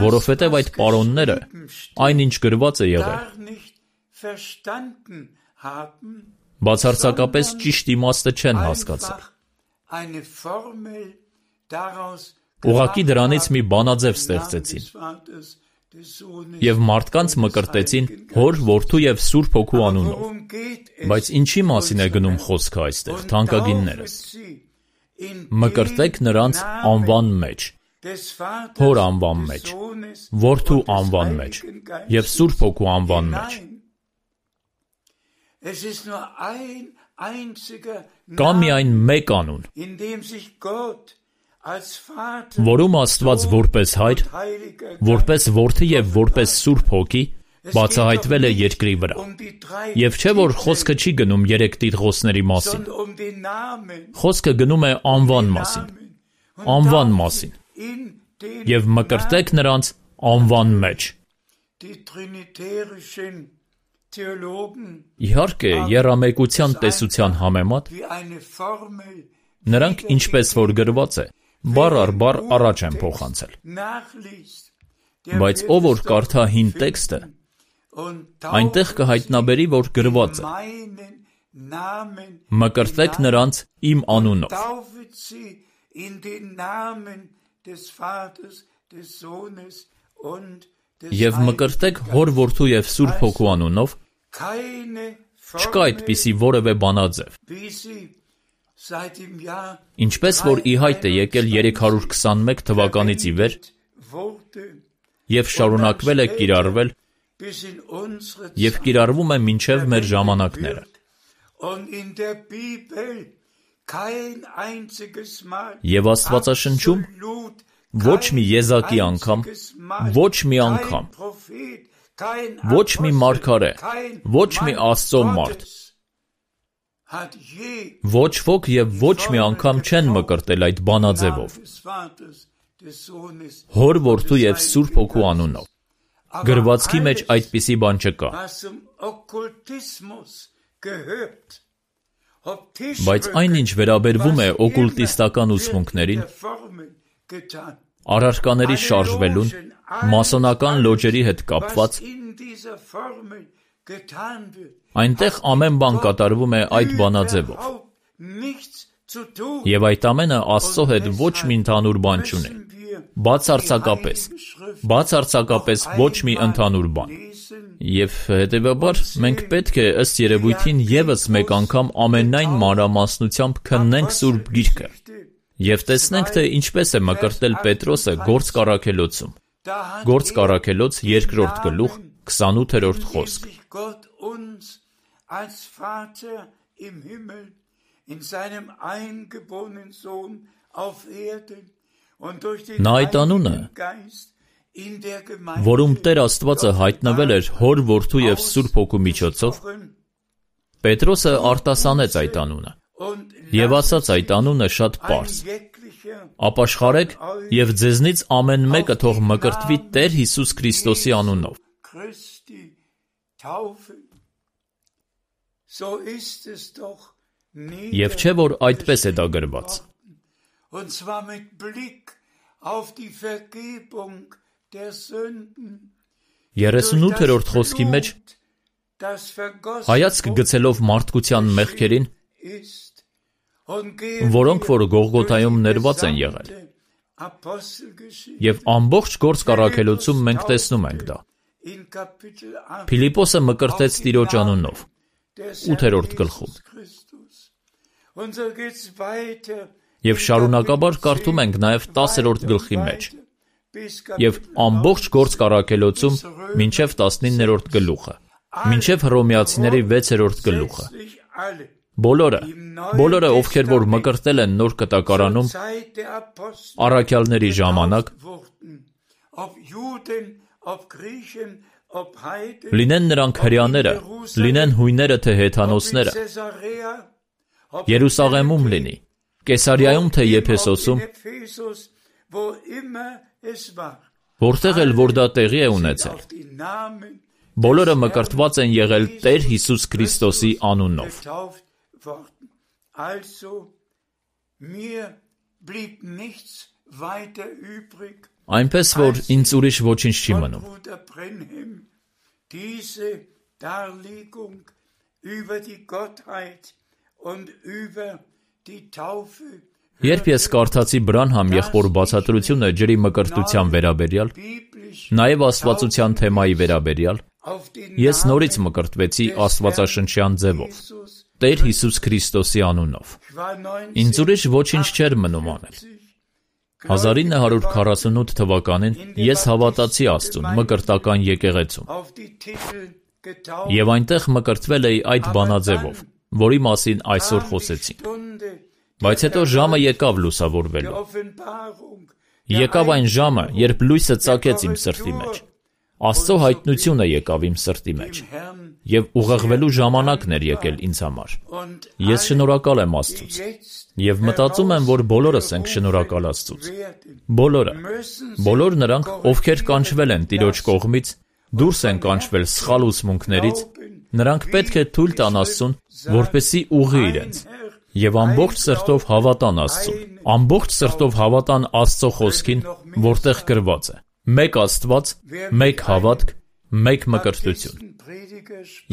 S2: Որովհետև այդ պարոնները, այնինչ գրված է եղել, բացարձակապես ճիշտ իմաստը չեն հասկացել։ Ուղղակի դրանից մի բանաձև ստեղծեցին և մարդկանց մկրտեցին Հոր, Որդու և Սուրբ Հոգու անունով։ Բայց ինչի մասին է գնում խոսքը այստեղ, թանկագիններս։ Մկրտեք նրանց անվան մեջ, Հոր անվան մեջ, Որդու անվան մեջ և Սուրբ Հոգու անվան մեջ։ Կա միայն մեկ անուն, որում Աստված որպես Հայր, որպես Որդի և որպես Սուրբ Հոգի բացահայտվել է երկրի վրա։ Եվ չէ, որ խոսքը չի գնում երեք տիտղոսների մասին։ Խոսքը գնում է անվան մասին, և մկրտեք նրանց անվան մեջ։ Իհարկե, եռամեկության տեսության համեմատ, նրանք ինչպես որ գրված է, բառ առ բառ առաջ են փոխանցել։ Բայց ով որ կարդա հին տեքստը, այնտեղ կհայտնաբերի, որ գրված է. մկրտեք նրանց իմ անունով։ Եվ մկրտեք Հոր, Որդու և Սուրբ Հոգու անունով, չկա այդպիսի որևէ բանաձև։ Ինչպես որ ի հայտ է եկել 321 թվականից ի վեր և շարունակվել է կիրառվել և կիրառվում է մինչև մեր ժամանակները։ Եվ Աստվածաշնչում ոչ մի եզակի անգամ, ոչ մի անգամ, ոչ մի մարգարե, ոչ մի Աստծո մարդ, ոչ ոք և ոչ մի անգամ չեն մկրտել այդ բանաձևով, Հոր, Որդու և Սուրբ Հոգու անունով։ Գրվածքի մեջ այդպիսի բան չկա։ Բայց այնինչ վերաբերվում է օկուլտիստական ուսմունքներին, առարկաների շարժվելուն, մասոնական լոջերի հետ կապված, այնտեղ ամեն բան կատարվում է այդ բանաձևով։ Եվ այդ ամենը Աստծո հետ ոչ մի ընդհանուր բան չունի։ Բացարձակապես ոչ մի ընդհանուր բան։ Եվ հետևաբար մենք պետք է ըստ երևույթին ևս մեկ անգամ ամենայն մանրամասնությամբ քննենք Սուրբ Գիրքը և տեսնենք, թե ինչպես է մկրտել Պետրոսը Գործք առաքելոցում։ Գործք առաքելոց 2-րդ գլուխ 28-րդ խոսք։ Նա այդ անունը, որում Տեր Աստվածը հայտնվել էր Հոր, Որդու և Սուրբ Հոգու միջոցով, Պետրոսը արտասանեց այդ անունը և ասաց այդ անունը շատ պարզ. ապաշխարեք և ձեզնից ամեն մեկը թող մկրտվի Տեր Հիսուս Քրիստոսի անունով։ Եվ չէ, որ այդպես է դա գրված։ 38-րդ խոսքի մեջ հայացք գցելով մարդկության մեղքերին, որոնք որ Գողգոթայում ներված են եղել, և ամբողջ Գործք առաքելոցում մենք տեսնում ենք դա։ Փիլիպոսը մկրտեց Տիրոջ անունով, 8-րդ գլխում։ Եվ շարունակաբար կարդում ենք նաև 10-րդ գլխի մեջ և ամբողջ Գործք առաքելոցում մինչև 19-րդ գլուխը, մինչև Հռոմեացիների 6-րդ գլուխը։ Բոլորը, ովքեր որ մկրտել են Նոր Կտակարանում առաքյալների ժամանակ, լինեն նրանք հրեաները, լինեն հույները թե հեթանոսները, Երուսաղեմում լինի, Կեսարիայում թե Եփեսոսում, որտեղ էլ որ դա տեղի է ունեցել, Բոլորը մկրտված են եղել Տեր Հիսուս Քրիստոսի անունով։ Այնպես որ ինձ ուրիշ ոչինչ չի մնում։ Երբ ես կարդացի Բրանհամ եղբոր բացատրությունը ջրի մկրտության վերաբերյալ, նաև աստվածության թեմայի վերաբերյալ, ես նորից մկրտվեցի աստվածաշնչյան ձևով, Տեր Հիսուս Քրիստոսի անունով։ Ինձ ուրիշ ոչինչ չէր մնում անել։ 1948 թվականին ես հավատացի Աստծուն մկրտական եկեղեցում և այնտեղ մկրտվել էի այդ բանաձևով, որի մասին այսօր խոսեցինք։ Բայց հետո ժամը եկավ լուսավորվելու։ Եկավ այն ժամը, երբ լույսը ծագեց իմ սրտի մեջ։ Աստծո հայտնությունը եկավ իմ սրտի մեջ և ուղեղվելու ժամանակն էր եկել ինձ համար։ Ես շնորհակալ եմ Աստծուց և մտածում եմ, որ բոլորս ենք շնորհակալ Աստծուց։ Բոլոր նրանք, ովքեր կանչվել են Տիրոջ կողմից, դուրս են կանչվել սխալ ուսմունքներից, նրանք պետք է թույլ տան Աստծուն, որպեսզի ուղղի իրենց և ամբողջ սրտով հավատան Աստծուն, ամբողջ սրտով հավատան Աստծո խոսքին, որտեղ գրված է. մեկ Աստված, մեկ հավատք, մեկ մկրտություն։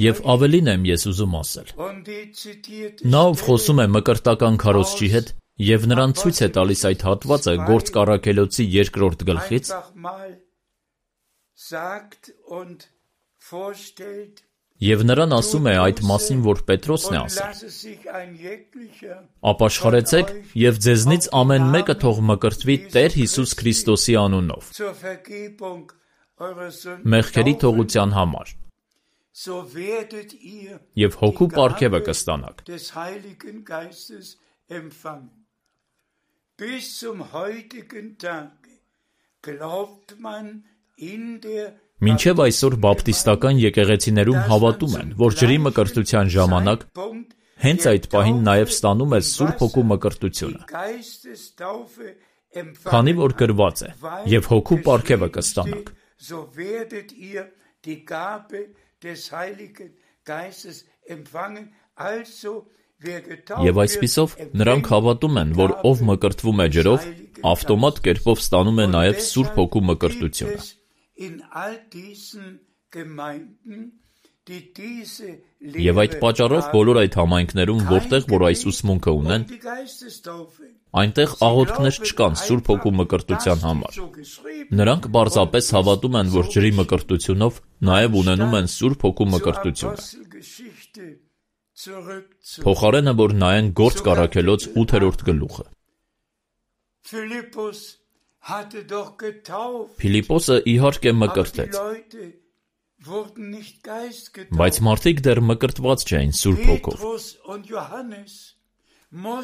S2: Եվ ավելին եմ ես ուզում ասել. նա, ով խոսում է մկրտական քարոզչի հետ և նրան ցույց է տալիս այդ հատվածը Գործք առաքելոցի 2-րդ գլխից, և նրան ասում է այդ մասին, որ Պետրոսն է ասել. ապաշխարեցեք և ձեզնից ամեն մեկը թող մկրտվի Տեր Հիսուս Քրիստոսի անունով, մեղքերի թողության համար, և հոգու պարգևը կստանաք։ Մինչև այսօր բապտիստական եկեղեցիներում հավատում են, որ ջրի մկրտության ժամանակ հենց այդ պահին նաև ստանում ես Սուրբ Հոգու մկրտությունը, քանի որ գրված է. «Եվ հոգու պարգևը կստանաք»։ Եվ այսպիսով նրանք հավատում են, որ ով մկրտվում է ջրով, ավտոմատ կերպով ստանում է նաև Սուրբ Հոգու մկրտությունը։ Եվ այդ պատճառով բոլոր այդ համայնքներում, որտեղ որ այս ուսմունքը ունեն, այնտեղ աղոթքներ չկան Սուրբ Հոգու մկրտության համար։ Նրանք պարզապես հավատում են, որ ջրի մկրտությունով նաև ունենում են Սուրբ Հոգու մկրտությունը։ Փոխարենը, որ նայեն Գործք առաքելոց 8-րդ գլուխը։ Փիլիպոսը իհարկե մկրտեց, բայց մարդիկ դեռ մկրտված չէին Սուրբ Հոգով։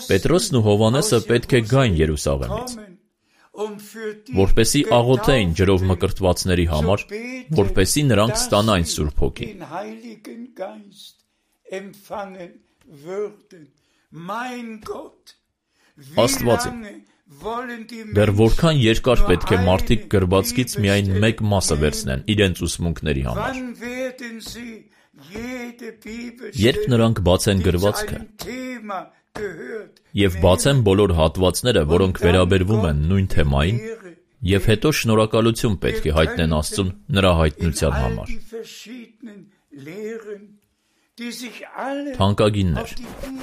S2: Պետրոսն ու Հովհաննեսը պետք է գային Երուսաղեմից, որպեսզի աղոթեին ջրով մկրտվածների համար, որպեսզի նրանք ստանային Սուրբ Հոգին։ Աստված իմ, դեռ որքան երկար պետք է մարդիկ գրվածքից միայն մեկ մասը վերցնեն իրենց ուսմունքների համար։ Երբ նրանք բացեն գրվածքը և բացեն բոլոր հատվածները, որոնք վերաբերվում են նույն թեմային, և հետո շնորհակալություն պետք է հայտնեն Աստծուն նրա հայտնության համար։ Թանկագիններ,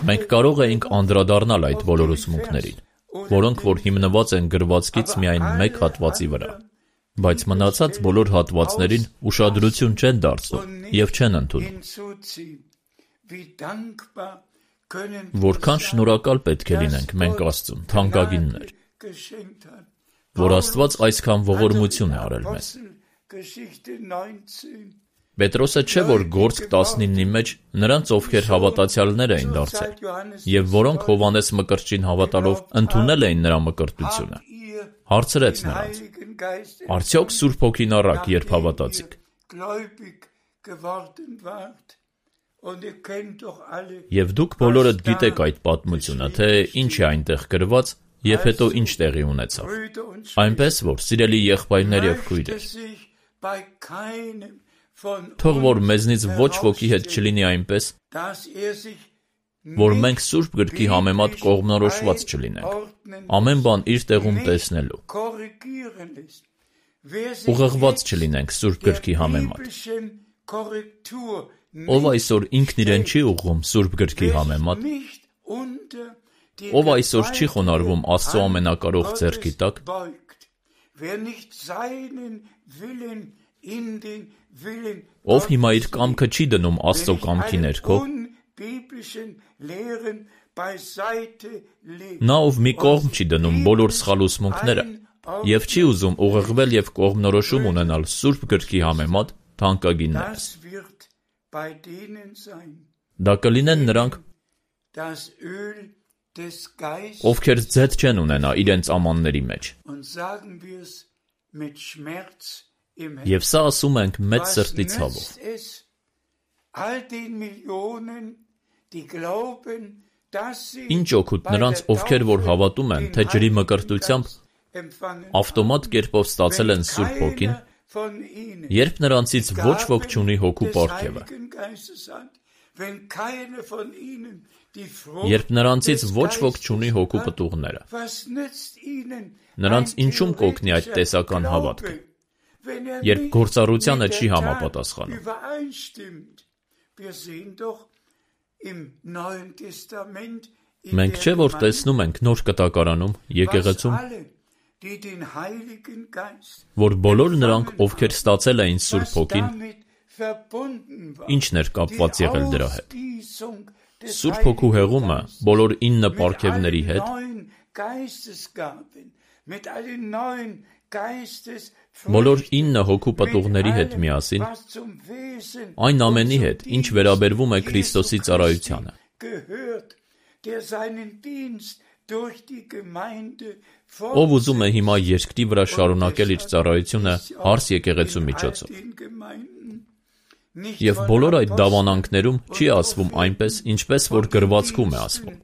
S2: մենք կարող էինք անդրադառնալ այդ բոլոր ուսմունքներին, որոնք որ հիմնված են գրվածքից միայն մեկ հատվածի վրա, բայց մնացած բոլոր հատվածներին ուշադրություն չեն դարձնում և չեն ընդունում։ Որքան շնորհակալ պետք է լինենք մենք Աստծուն, թանկագիններ, որ Աստված այսքան ողորմություն է արել մեզ։ Պետրոսը չէ, որ Գործք 19-ի մեջ նրանց, ովքեր հավատացյալներ էին դարձել, և որոնք Հովհաննես Մկրտչին հավատալով ընդունել էին նրա մկրտությունը, հարցրեց նրանց. արդյոք Սուրբ Հոգին առաք, երբ հավատացիք։ Եվ դուք բոլորդ գիտեք այդ պատմությունը, թե ինչ է այնտեղ գրված և հետո ինչ տեղի ունեցավ։ Այնպես որ, սիրելի եղբայրներ և քույրեր, Թող որ մեզնից ոչ ոքի հետ չլինի այնպես, որ մենք Սուրբ գրքի համեմատ կողմնորոշված չլինենք, ամեն բան իր տեղում տեսնելու, ուղղված չլինենք Սուրբ գրքի համեմատ։ Ով այսօր ինքն իրեն չի ուղղում Սուրբ գրքի համեմատ, ով այսօր չի խոնարհվում Աստծո ամենակարող ձեռքի տակ, ով հիմա իր կամքը չի դնում Աստծո կամքի ներքո, նա ով մի կողմ չի դնում բոլոր սխալ ուսմունքները և չի ուզում ուղղվել և կողմնորոշում ունենալ Սուրբ գրքի համեմատ թանկագիններս։ Դա կլինեն նրանք, ովքեր ձեթ չեն ունենա իրենց ամանների մեջ։ Եվ սա ասում ենք մեծ սրտի ցավով։ Ինչ օգուտ նրանց, ովքեր որ հավատում են, թե ջրի մկրտությամբ ավտոմատ կերպով ստացել են Սուրբ Հոգին, երբ նրանցից ոչ ոք չունի հոգու պարգևը, երբ նրանցից ոչ ոք չունի հոգու պտուղները, նրանց ինչում կօգնի այդ տեսական հավատքը, երբ գործառությանը չի համապատասխանում։ Մենք չէ՞ որ տեսնում ենք Նոր Կտակարանում եկեղեցում, որ բոլոր նրանք, ովքեր ստացել էին Սուրբ Հոգին, ինչն էր կապված եղել դրա հետ։ Սուրբ Հոգու հեղումը բոլոր 9 պարգևների հետ, բոլոր 9 հոգու պտուղների հետ միասին, այն ամենի հետ, ինչ վերաբերվում է Քրիստոսի ծառայությանը, ով ուզում է հիմա երկրի վրա շարունակել իր ծառայությունը հարս եկեղեցու միջոցով։ Եվ բոլոր այդ դավանանքներում չի ասվում այնպես, ինչպես որ գրվածքում է ասվում։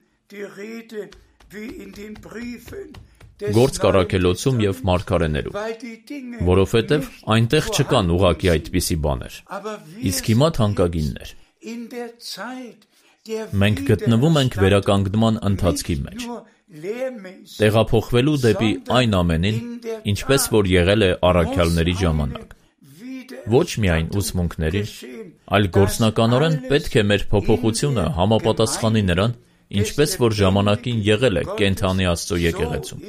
S2: Գործ կառաքելոցում և մարգարեներում, որովհետև այնտեղ չկան ուղղակի այդպիսի բաներ, իսկ հիմա թանկագիններ։ Մենք գտնվում ենք վերականգնման ընթացքի մեջ, տեղափոխվելու դեպի այն ամենին, ինչպես որ եղել է առաքյալների ժամանակ։ Ոչ միայն ուսմունքներին, այլ գործնականորեն պետք է մեր փոփոխությունը համապատասխանի նրան, ինչպես որ ժամանակին եղել է կենդանի Աստծո եկեղեցում,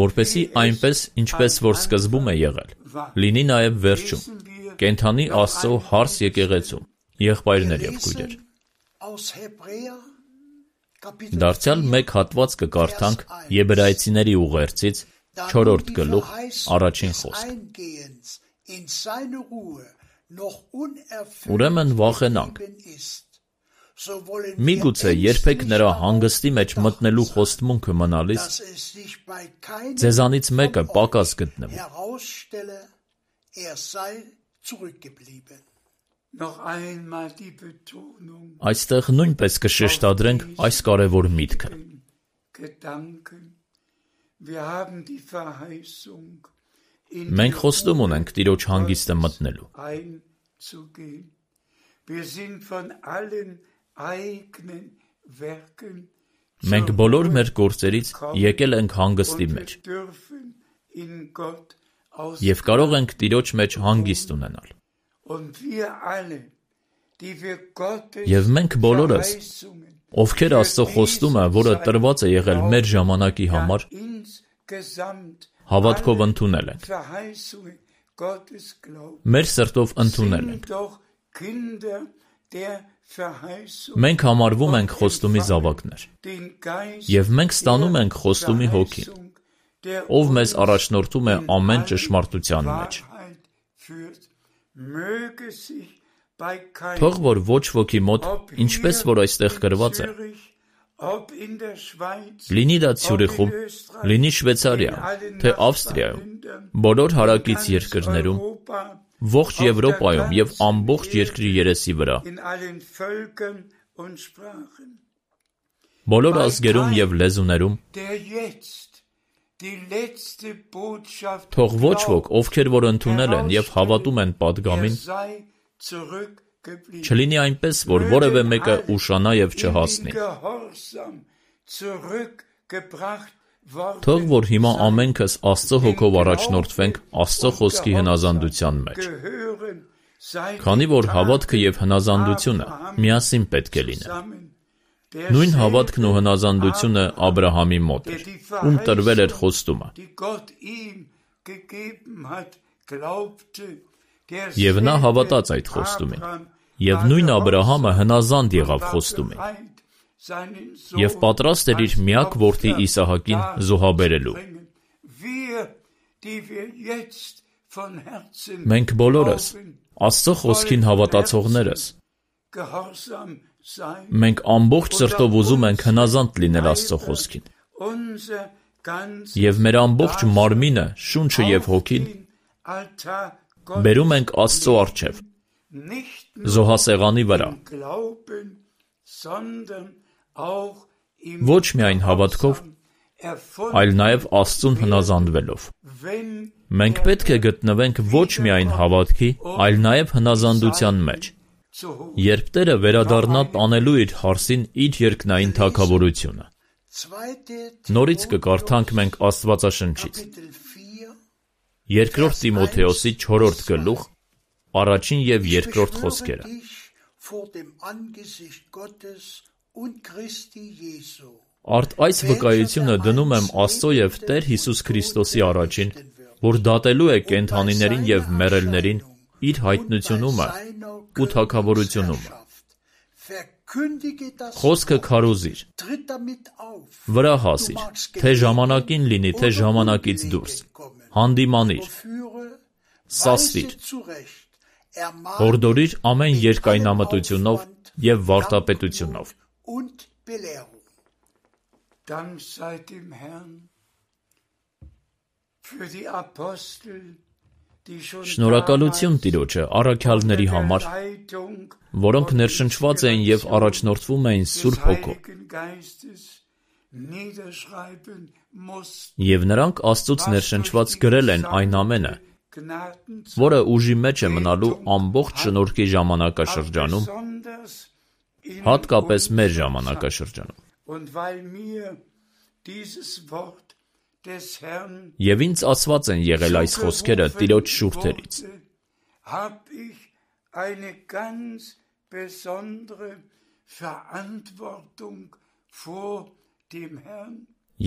S2: որպեսզի այնպես, ինչպես որ սկզբում է եղել, լինի նաև վերջում, կենդանի Աստծո հարս եկեղեցում, եղբայրներ և քույրեր։ Դարձյալ մեկ հատված կկարդանք Եբրայեցիների ուղերձից 4-րդ գլուխ առաջին խոսք։ Ուրեմն վախենանք, միգուցե երբեք նրա հանգստի մեջ մտնելու խոստմունքը մնալիս, ձեզանից մեկը պակաս գտնվի։ Այստեղ նույնպես կշեշտադրենք այս կարևոր միտքը։ Մենք խոստում ունենք Տիրոջ հանգիստը մտնելու։ Մենք բոլոր մեր գործերից եկել ենք հանգստի մեջ և կարող ենք Տիրոջ մեջ հանգիստ ունենալ։ Եվ մենք բոլորս, ովքեր Աստծո խոստումը, որը տրված է եղել մեր ժամանակի համար, հավատքով ընդունել ենք։ Մեր սրտով ընդունել ենք։ Մենք համարվում ենք խոստումի զավակներ, և մենք ստանում ենք խոստումի հոգին, ով մեզ առաջնորդում է ամեն ճշմարտության մեջ։ Թող որ ոչ ոքի մոտ, ինչպես որ այստեղ գրված է, լինի դա Ցյուրիխում, լինի Շվեյցարիայում, թե Ավստրիայում, բոլոր հարակից երկրներում, ողջ Եվրոպայում և ամբողջ երկրի երեսի վրա, բոլոր ազգերում և լեզուներում, թող ոչ ոք, ովքեր որ ընդունել են և հավատում են պատգամին, Չլինի այնպես, որ որևէ մեկը ուշանա և չհասնի։ Թող որ հիմա ամենքս Աստծո հոգով առաջնորդվենք Աստծո խոսքի հնազանդության մեջ։ Քանի որ հավատքը և հնազանդությունը միասին պետք է լինեն։ Նույն հավատքն ու հնազանդությունը Աբրահամի մոտ էր, ում տրվել էր խոստումը։ Եվ նա հավատաց այդ խոստումին, և նույն Աբրահամը հնազանդ եղավ խոստումին, և պատրաստ էր իր միակ որդի Իսահակին զոհաբերելու։ Մենք բոլորս, Աստծո խոսքին հավատացողներս, մենք ամբողջ սրտով ուզում ենք հնազանդ լինել Աստծո խոսքին, և մեր ամբողջ մարմինը, շունչը և հոգին բերում ենք Աստծո առջև, զոհասեղանի վրա, ոչ միայն հավատքով, այլ նաև Աստծուն հնազանդվելով։ Մենք պետք է գտնվենք ոչ միայն հավատքի, այլ նաև հնազանդության մեջ, երբ Տերը վերադառնա տանելու իր հարսին իր երկնային թագավորությունը։ Նորից կկարդանք մենք Աստվածաշնչից։ Երկրորդ Տիմոթեոսի 4-րդ գլուխ, առաջին և երկրորդ խոսքերը։ Արդ այս վկայությունը դնում եմ Աստծո և Տեր Հիսուս Քրիստոսի առաջին, որ դատելու է կենդանիներին և մեռելներին իր հայտնությունումը ու թագավորությունումը։ Խոսքը քարոզիր, վրա հասիր, թե ժամանակին լինի, թե ժամանակից դուրս, հանդիմանիր, սասվիր, հորդորիր ամեն երկայնամտությունով և վարդապետությունով։ Շնորհակալություն Տիրոջը առաքյալների համար, որոնք ներշնչված էին և առաջնորդվում էին Սուրբ Հոգով, և նրանք Աստծուց ներշնչված գրել են այն ամենը, որը ուժի մեջ է մնալու ամբողջ շնորհքի ժամանակաշրջանում, հատկապես մեր ժամանակաշրջանում։ Եվ ինձ ասված են եղել այս խոսքերը Տիրոջ շուրթերից։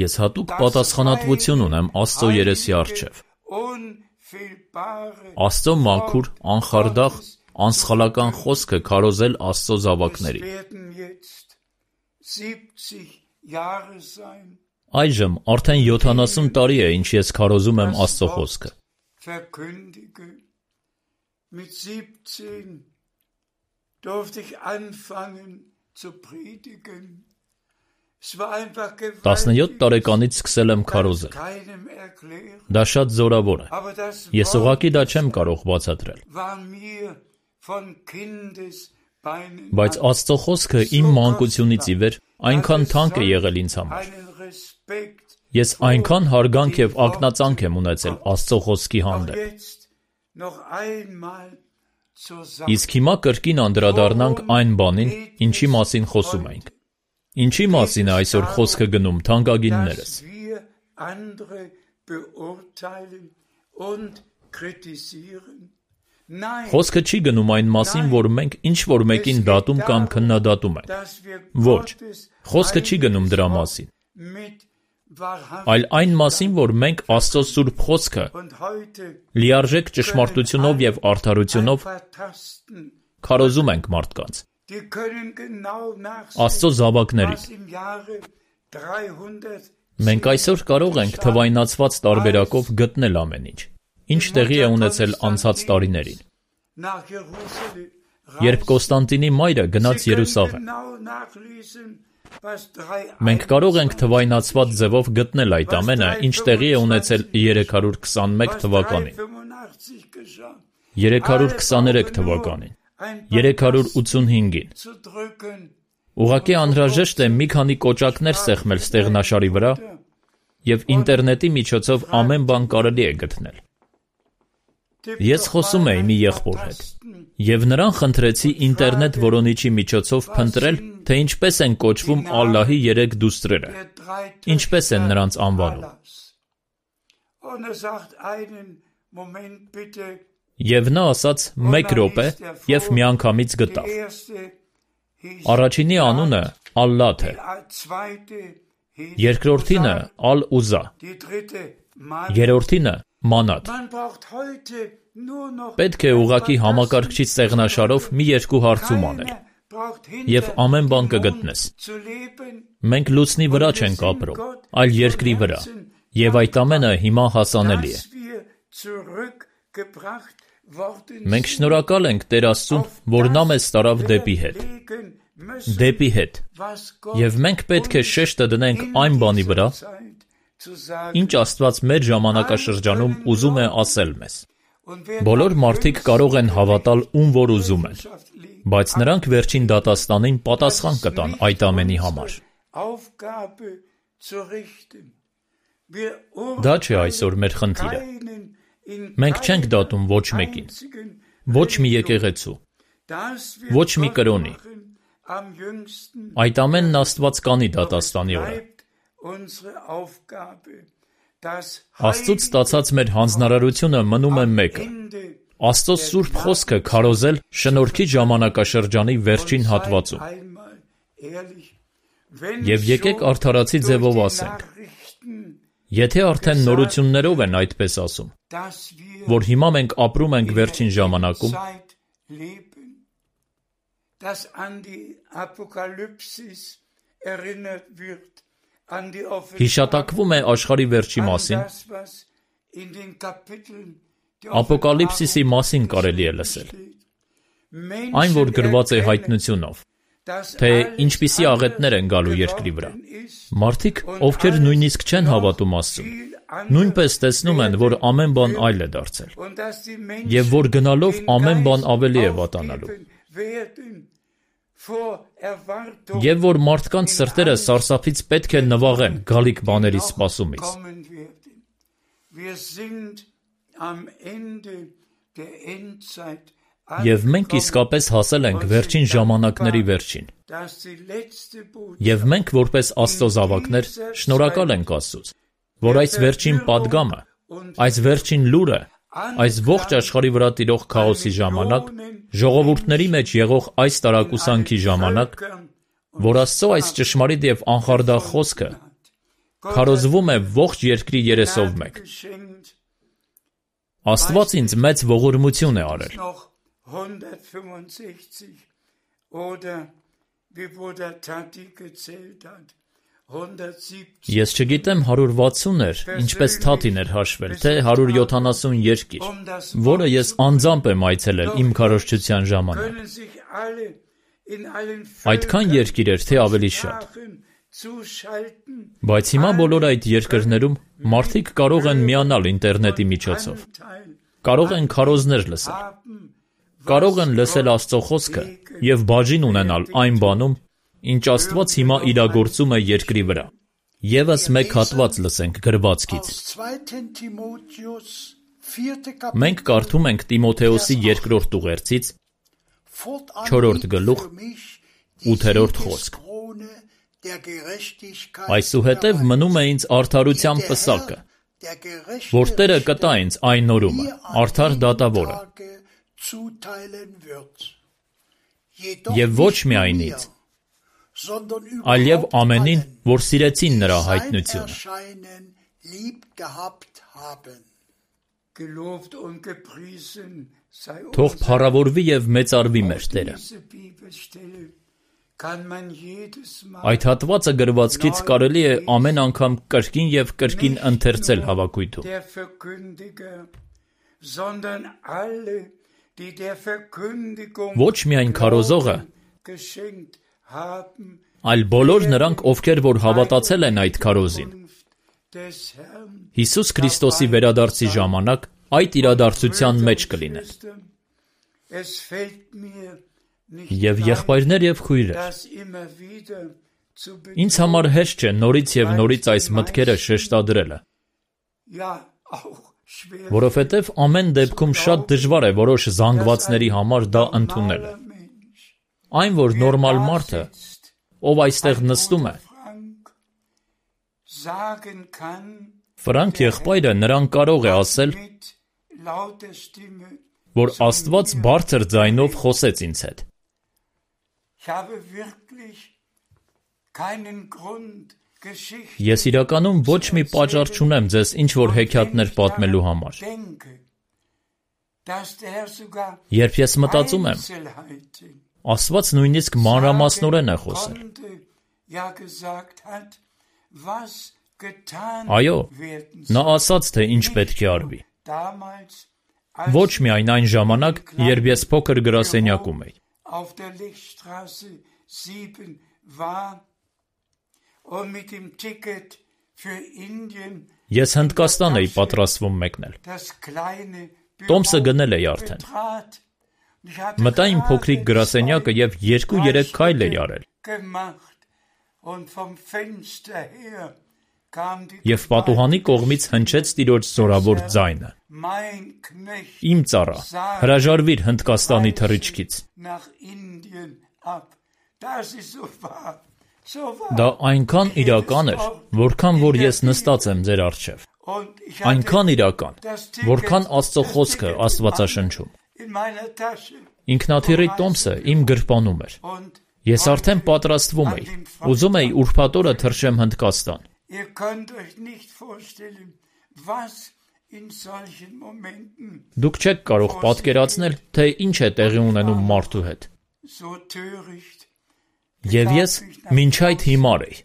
S2: Ես հատուկ պատասխանատվություն ունեմ Աստծո երեսի առջև։ Աստծո մաքուր, անխարդախ, անսխալական խոսքը քարոզել Աստծո զավակներին։ Այժմ արդեն 70 տարի է, ինչ ես քարոզում եմ Աստծո խոսքը։ Տասնյոթ տարեկանից սկսել եմ քարոզել։ Դա շատ զորավոր է։ Ես ուղղակի դա չեմ կարող բացատրել։ Բայց Աստծո խոսքը իմ մանկությունից ի վեր այնքան թանկ է եղել ինձ համար։ Ես այնքան հարգանք և ակնածանք եմ ունեցել Աստծո խոսքի հանդեպ։ Իսկ հիմա կրկին անդրադառնանք այն բանին, ինչի մասին խոսում ենք։ Ինչի մասին է այսօր խոսքը գնում, թանկագիններս։ Խոսքը չի գնում այն մասին, որ մենք ինչ-որ մեկին դատում կամ քննադատում ենք։ Ոչ, խոսքը չի գնում դրա մասին, այլ այն մասին, որ մենք Աստծո Սուրբ Խոսքը լիարժեք ճշմարտությունով և արդարությունով քարոզում ենք մարդկանց, Աստծո զավակներին։ Մենք այսօր կարող ենք թվայնացված տարբերակով գտնել ամեն ինչ, ինչ տեղի է ունեցել անցած տարիներին, երբ Կոստանդինի մայրը գնաց Երուսաղեմ։ Մենք կարող ենք թվայնացված ձևով գտնել այդ ամենը, ինչ տեղի է ունեցել 321 թվականին, 323 թվականին, 385-ին։ Ուղղակի անհրաժեշտ է մի քանի կոճակներ սեղմել ստեղնաշարի վրա, և ինտերնետի միջոցով ամեն բան կարելի է գտնել։ Ես խոսում էի մի եղբոր հետ, եւ նրան խնդրեցի ինտերնետ որոնիչի միջոցով փնտրել, թե ինչպես են կոչվում Ալլահի 3 դուստրերը, ինչպես են նրանց անվանում։ Եվ նա ասաց մեկ րոպե եւ միանգամից գտավ։ Առաջինի անունը Ալլաթ է, երկրորդինը Ալ-Ուզա, երրորդինը Մանատ։ Պետք է ուղղակի համակարգչից սեղնաշարով մի երկու հարցում անել, եւ ամեն բան կգտնես։ Մենք լուսնի վրա չենք ապրում, այլ երկրի վրա, եւ այդ ամենը հիմա հասանելի է։ Մենք շնորհակալ ենք Տեր Աստծուն, որ նա մեզ տարավ դեպի հետ, եւ մենք պետք է շեշտը դնենք այն բանի վրա, ինչ Աստված մեր ժամանակաշրջանում ուզում է ասել մեզ։ Բոլոր մարդիկ կարող են հավատալ ում որ ուզում են, բայց նրանք վերջին դատաստանին պատասխան կտան այդ ամենի համար։ Դա չէ այսօր մեր խնդիրը։ Մենք չենք դատում ոչ մեկին, ոչ մի եկեղեցու, ոչ մի կրոնի։ Այդ ամենն Աստված կանի դատաստանի օրը։ Աստծուց ստացած մեր հանձնարարությունը մնում է մեկը՝ Աստծո սուրբ խոսքը քարոզել շնորհքի ժամանակաշրջանի վերջին հատվածում։ Եվ եկեք արդարացի ձևով ասենք, եթե արդեն նորություններով են այդպես ասում, որ հիմա մենք ապրում ենք վերջին ժամանակում, հիշատակվում է աշխարհի վերջի մասին, Ապոկալիպսիսի մասին կարելի է լսել, այն որ գրված է հայտնությունով, թե ինչպիսի աղետներ են գալու երկրի վրա։ Մարդիկ, ովքեր նույնիսկ չեն հավատում Աստծուն, նույնպես տեսնում են, որ ամեն բան այլ է դարձել, եւ որ գնալով ամեն բան ավելի է վատանալու, եւ որ մարդկանց սրտերը սարսափից պետք է նվաղեն գալիք բաների սպասումից։ Եվ մենք իսկապես հասել ենք վերջին ժամանակների վերջին։ Եվ մենք որպես Աստծո զավակներ շնորհակալ ենք Աստծուց, որ այս վերջին պատգամը, այս վերջին լուրը, այս ողջ աշխարհի վրա տիրող քաոսի ժամանակ, ժողովուրդների մեջ եղող այս տարակուսանքի ժամանակ, որ Աստծո այս ճշմարիտ եւ անխարդախ խոսքը քարոզվում է ողջ երկրի երեսով մեկ։ Աստված ինձ մեծ ողորմություն է արել։ Ես չգիտեմ 160 էր, ինչպես Թաթին էր հաշվել, թե 170 երկիր, որը ես անձամբ եմ այցելել իմ քարոզչության ժամանակ։ Այդքան երկիր էր, թե ավելի շատ։ Բայց հիմա բոլոր այդ երկրներում մարդիկ կարող են միանալ ինտերնետի միջոցով, կարող են քարոզներ լսել, կարող են լսել Աստծո խոսքը եւ բաժին ունենալ այն բանում, ինչ Աստված հիմա իրագործում է երկրի վրա։ Եվս մեկ հատված լսենք գրվածքից։ Մենք կարդում ենք Տիմոթեոսի 2-րդ ուղերձից 4-րդ գլուխ 8-րդ խոսք։ Այսուհետև մնում է ինձ արդարության պսակը, որ Տերը կտա ինձ այն օրումը, արդար դատավորը։ Եվ ոչ միայն ինձ, այլև ամենին, որ սիրեցին նրա հայտնությունը։ Թող փառավորվի եւ մեծարվի մեր Տերը։ Այդ հատվածը գրվածքից կարելի է ամեն անգամ կրկին եւ կրկին ընթերցել հավաքույթում։ Ոչ միայն քարոզողը, այլ բոլոր նրանք, ովքեր որ հավատացել են այդ քարոզին, Հիսուս Քրիստոսի վերադարձի ժամանակ այդ իրադարձության մեջ կլինեն։ Եվ եղբայրներ եւ քույրեր, ինձ համար հեշտ չէ նորից եւ նորից այս մտքերը շեշտադրելը։ որովհետև ամեն դեպքում շատ դժվար է որոշ զանգվածների համար դա ընդունելը։ Այն, որ նորմալ մարդը, ով այստեղ նստում է, Ֆրանկ եղբայրը նրան կարող է ասել, որ Աստված բարձր ձայնով խոսեց ինձ հետ։ Ես իրականում ոչ մի պատճառ չունեմ ձեզ ինչ-որ հեքիաթներ պատմելու համար։ Երբ ես մտածում եմ, Աստված նույնիսկ մանրամասնորեն է խոսել։ Այո, նա ասաց, թե ինչ պետք է արվի։ Ոչ միայն այն ժամանակ, երբ ես փոքր գրասենյակում էի։ Ես Հնդկաստան էի պատրաստվում մեկնել։ Տոմսը գնել էի արդեն։ Մտա իմ փոքրիկ գրասենյակը և 2-3 քայլ էի արել։ Եվ պատուհանի կողմից հնչեց Տիրոջ զորավոր ձայնը. «Իմ ծառա, հրաժարվիր Հնդկաստանի թռիչքից»։ Դա այնքան իրական էր, որքան որ ես նստած եմ ձեր առջև։ Այնքան իրական, որքան Աստծո խոսքը Աստվածաշնչում։ Ինքնաթիռի տոմսը իմ գրպանում էր։ Ես արդեն պատրաստվում էի։ Ուզում էի ուրբաթ օրը թռչեմ Հնդկաստան։ Դուք չեք կարող պատկերացնել, թե ինչ է տեղի ունենում մարդու հետ։ Եվ ես մինչ այդ հիմար էի։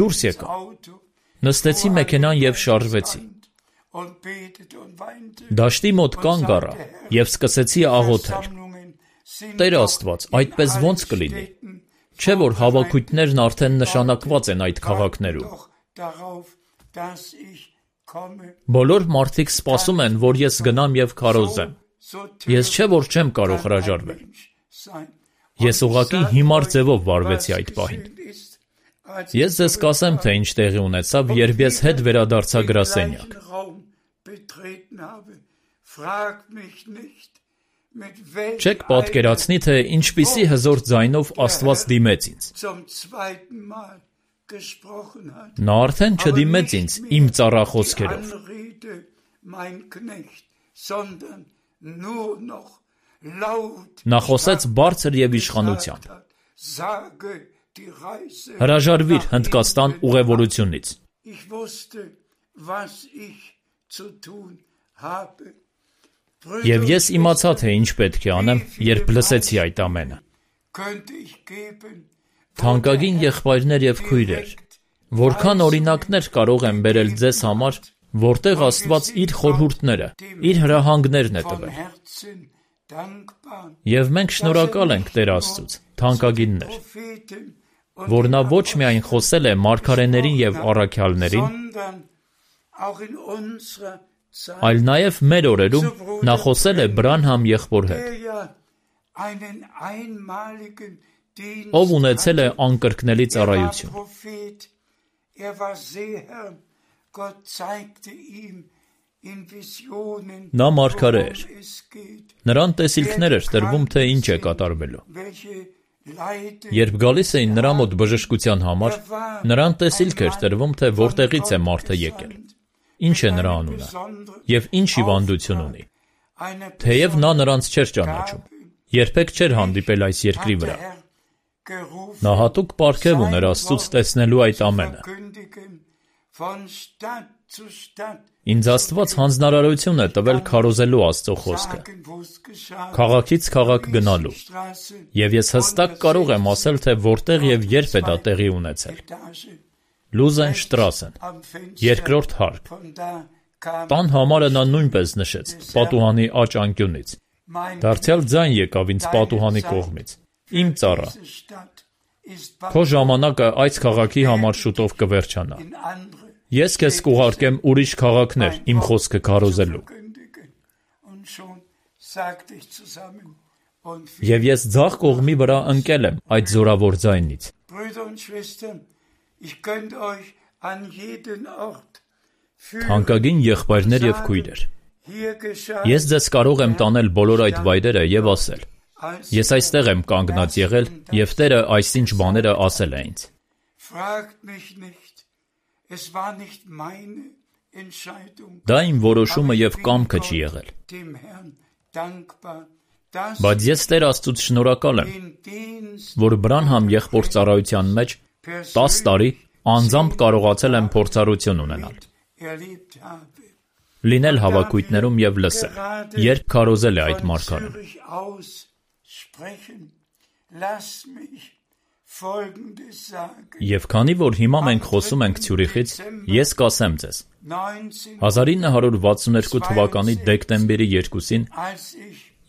S2: Դուրս եկա։ Նստեցի մեքենան և շարժվեցի։ Դաշտի մոտ կանգ առա և սկսեցի աղոթել. Տեր Աստված, այդպես ո՞նց կլինի։ Չէ՞ որ հավաքույթներն արդեն նշանակված են այդ քաղաքներում։ Բոլոր մարդիկ սպասում են, որ ես գնամ և քարոզեմ։ Ես չէ՞ որ չեմ կարող հրաժարվել։ Ես ուղղակի հիմար ձևով վարվեցի այդ պահին։ Ես ձեզ կասեմ, թե ինչ տեղի ունեցավ, երբ ես հետ վերադարձա գրասենյակ։ Չեք պատկերացնի, թե ինչպիսի հզոր ձայնով Աստված դիմեց ինձ։ Նա արդեն չդիմեց ինձ իմ ծառա խոսքերով։ Նա խոսեց բարձր և իշխանությամբ. հրաժարվիր Հնդկաստան ուղևորությունից։ Եվ ես իմացա, թե ինչ պետք է անեմ, երբ լսեցի այդ ամենը։ Թանկագին եղբայրներ և քույրեր, որքան օրինակներ կարող եմ բերել ձեզ համար, որտեղ Աստված իր խորհուրդները, իր հրահանգներն է տվել։ Եվ մենք շնորհակալ ենք Տեր Աստծուց, թանկագիններ, որ նա ոչ միայն խոսել է մարգարեներին և առաքյալներին, այլ նաև մեր օրերում նա խոսել է Բրանհամ եղբոր հետ, ով ունեցել է անկրկնելի ծառայություն։ Նա մարգարե էր։ Նրան տեսիլքներ էր տրվում, թե ինչ է կատարվելու։ Երբ գալիս էին նրա մոտ բժշկության համար, նրան տեսիլք էր տրվում, թե որտեղից է մարդը եկել, ինչ է նրա անունը և ինչ հիվանդություն ունի։ Թեև նա նրանց չէր ճանաչում, երբեք չէր հանդիպել այս երկրի վրա։ Նա հատուկ պարգև ուներ Աստծուց տեսնելու այդ ամենը։ Ինձ Աստված հանձնարարություն է տվել քարոզելու Աստծո խոսքը, քաղաքից քաղաք գնալու, և ես հստակ կարող եմ ասել, թե որտեղ և երբ է դա տեղի ունեցել։ Լուզենշտրասեն, երկրորդ հարկ։ Տան համարը նա նույնպես նշեց, պատուհանի աջ անկյունից։ Դարձյալ ձայն եկավ ինձ պատուհանի կողմից. Իմ ծառա, քո ժամանակը այս քաղաքի համար շուտով կվերջանա։ Ես քեզ կուղարկեմ ուրիշ քաղաքներ իմ խոսքը քարոզելու։ Եվ ես ձախ կողմի վրա ընկել եմ այդ զորավոր ձայնից։ Թանկագին եղբայրներ և քույրեր, ես ձեզ կարող եմ տանել բոլոր այդ վայրերը և ասել. ես այստեղ եմ կանգնած եղել և Տերը այսինչ բաները ասել է ինձ։ Դա իմ որոշումը և կամքը չի եղել։ Բայց ես Տեր Աստծուց շնորհակալ եմ, որ Բրանհամ եղբոր ծառայության մեջ 10 տարի անձամբ կարողացել եմ փորձառություն ունենալ, լինել հավաքույթներում և լսել, երբ քարոզել է այդ մարգարեն։ Եվ քանի որ հիմա մենք խոսում ենք Ցյուրիխից, ես կասեմ ձեզ, 1962 թվականի դեկտեմբերի 2-ին,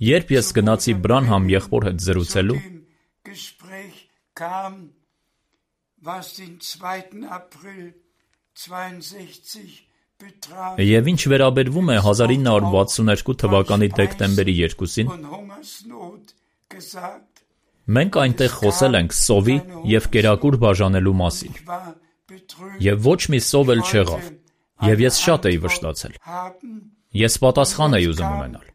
S2: երբ ես գնացի Բրանհամ եղբոր հետ զրուցելու, և ինչ վերաբերվում է 1962 թվականի դեկտեմբերի 2-ին, մենք այնտեղ խոսել ենք սովի և կերակուր բաժանելու մասին, և ոչ մի սով էլ չեղավ, և ես շատ էի վշտացել, ես պատասխան էի ուզում ունենալ,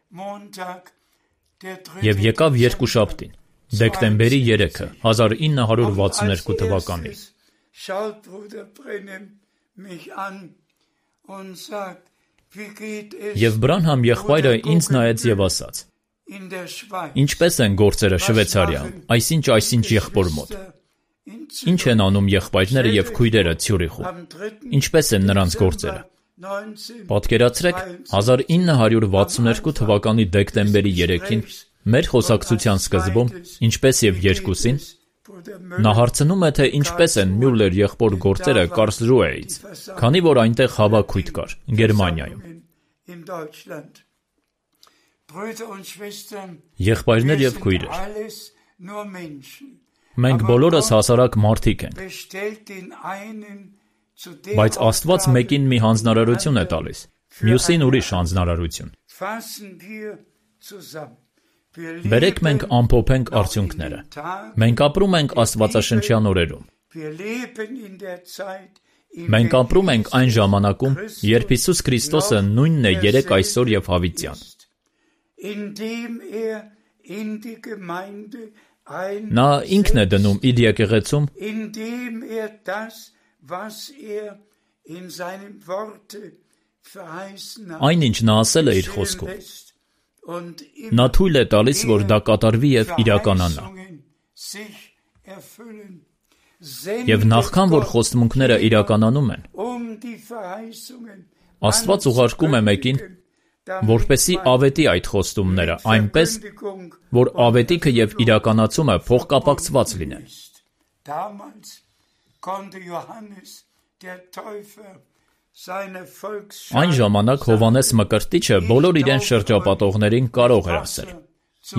S2: և եկավ երկուշաբթին, դեկտեմբերի 3-ը, 1962 թվականին, և Բրանհամ եղբայրը ինձ նայեց և ասաց. ինչպես են գործերը Շվեյցարիայում, այսինչ եղբոր մոտ, ինչ են անում եղբայրները և քույրերը Ցյուրիխում, ինչպես են նրանց գործերը։ Պատկերացրեք, 1962 թվականի դեկտեմբերի 3-ին, մեր խոսակցության սկզբում, ինչպես և 2-ին, նա հարցնում է, թե ինչպես են Մյուլլեր եղբոր գործերը Կարլսրուհեից, քանի որ այնտեղ հավաքույթ կար, Գերմանիայում։ Եղբայրներ և քույրեր, մենք բոլորս հասարակ մարդիկ ենք, բայց Աստված մեկին մի հանձնարարություն է տալիս, մյուսին ուրիշ հանձնարարություն։ Բերեք մենք ամփոփենք արդյունքները։ Մենք ապրում ենք աստվածաշնչյան օրերում։ Մենք ապրում ենք այն ժամանակում, երբ Հիսուս Քրիստոսը նույնն է երեկ, այսօր և հավիտյան։ Նա ինքն է դնում իր եկեղեցում այն, ինչ նա ասել է իր խոսքում։ Նա թույլ է տալիս, որ դա կատարվի և իրականանա։ Եվ նախքան որ խոստմունքները իրականանում են, Աստված ուղարկում է մեկին, որպեսզի ավետի այդ խոստումները այնպես, որ ավետիքը և իրականացումը փոխկապակցված լինեն։ Այն ժամանակ Հովհաննես Մկրտիչը բոլոր իրեն շրջապատողներին կարող էր ասել.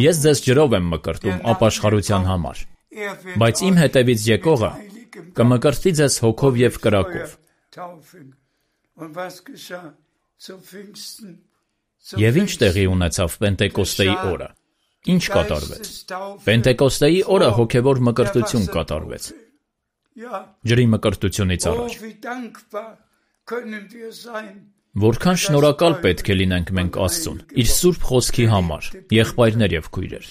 S2: ես ձեզ ջրով եմ մկրտում ապաշխարության համար, բայց իմ հետևից եկողը կմկրտի ձեզ հոգով և կրակով։ Եվ ինչ տեղի ունեցավ Պենտեկոստեի օրը։ Ինչ կատարվեց։ Պենտեկոստեի օրը հոգևոր մկրտություն կատարվեց։ Ջրի մկրտությունից առաջ։ Որքան շնորհակալ պետք է լինենք մենք Աստծուն, իր սուրբ խոսքի համար, եղբայրներ և քույրեր։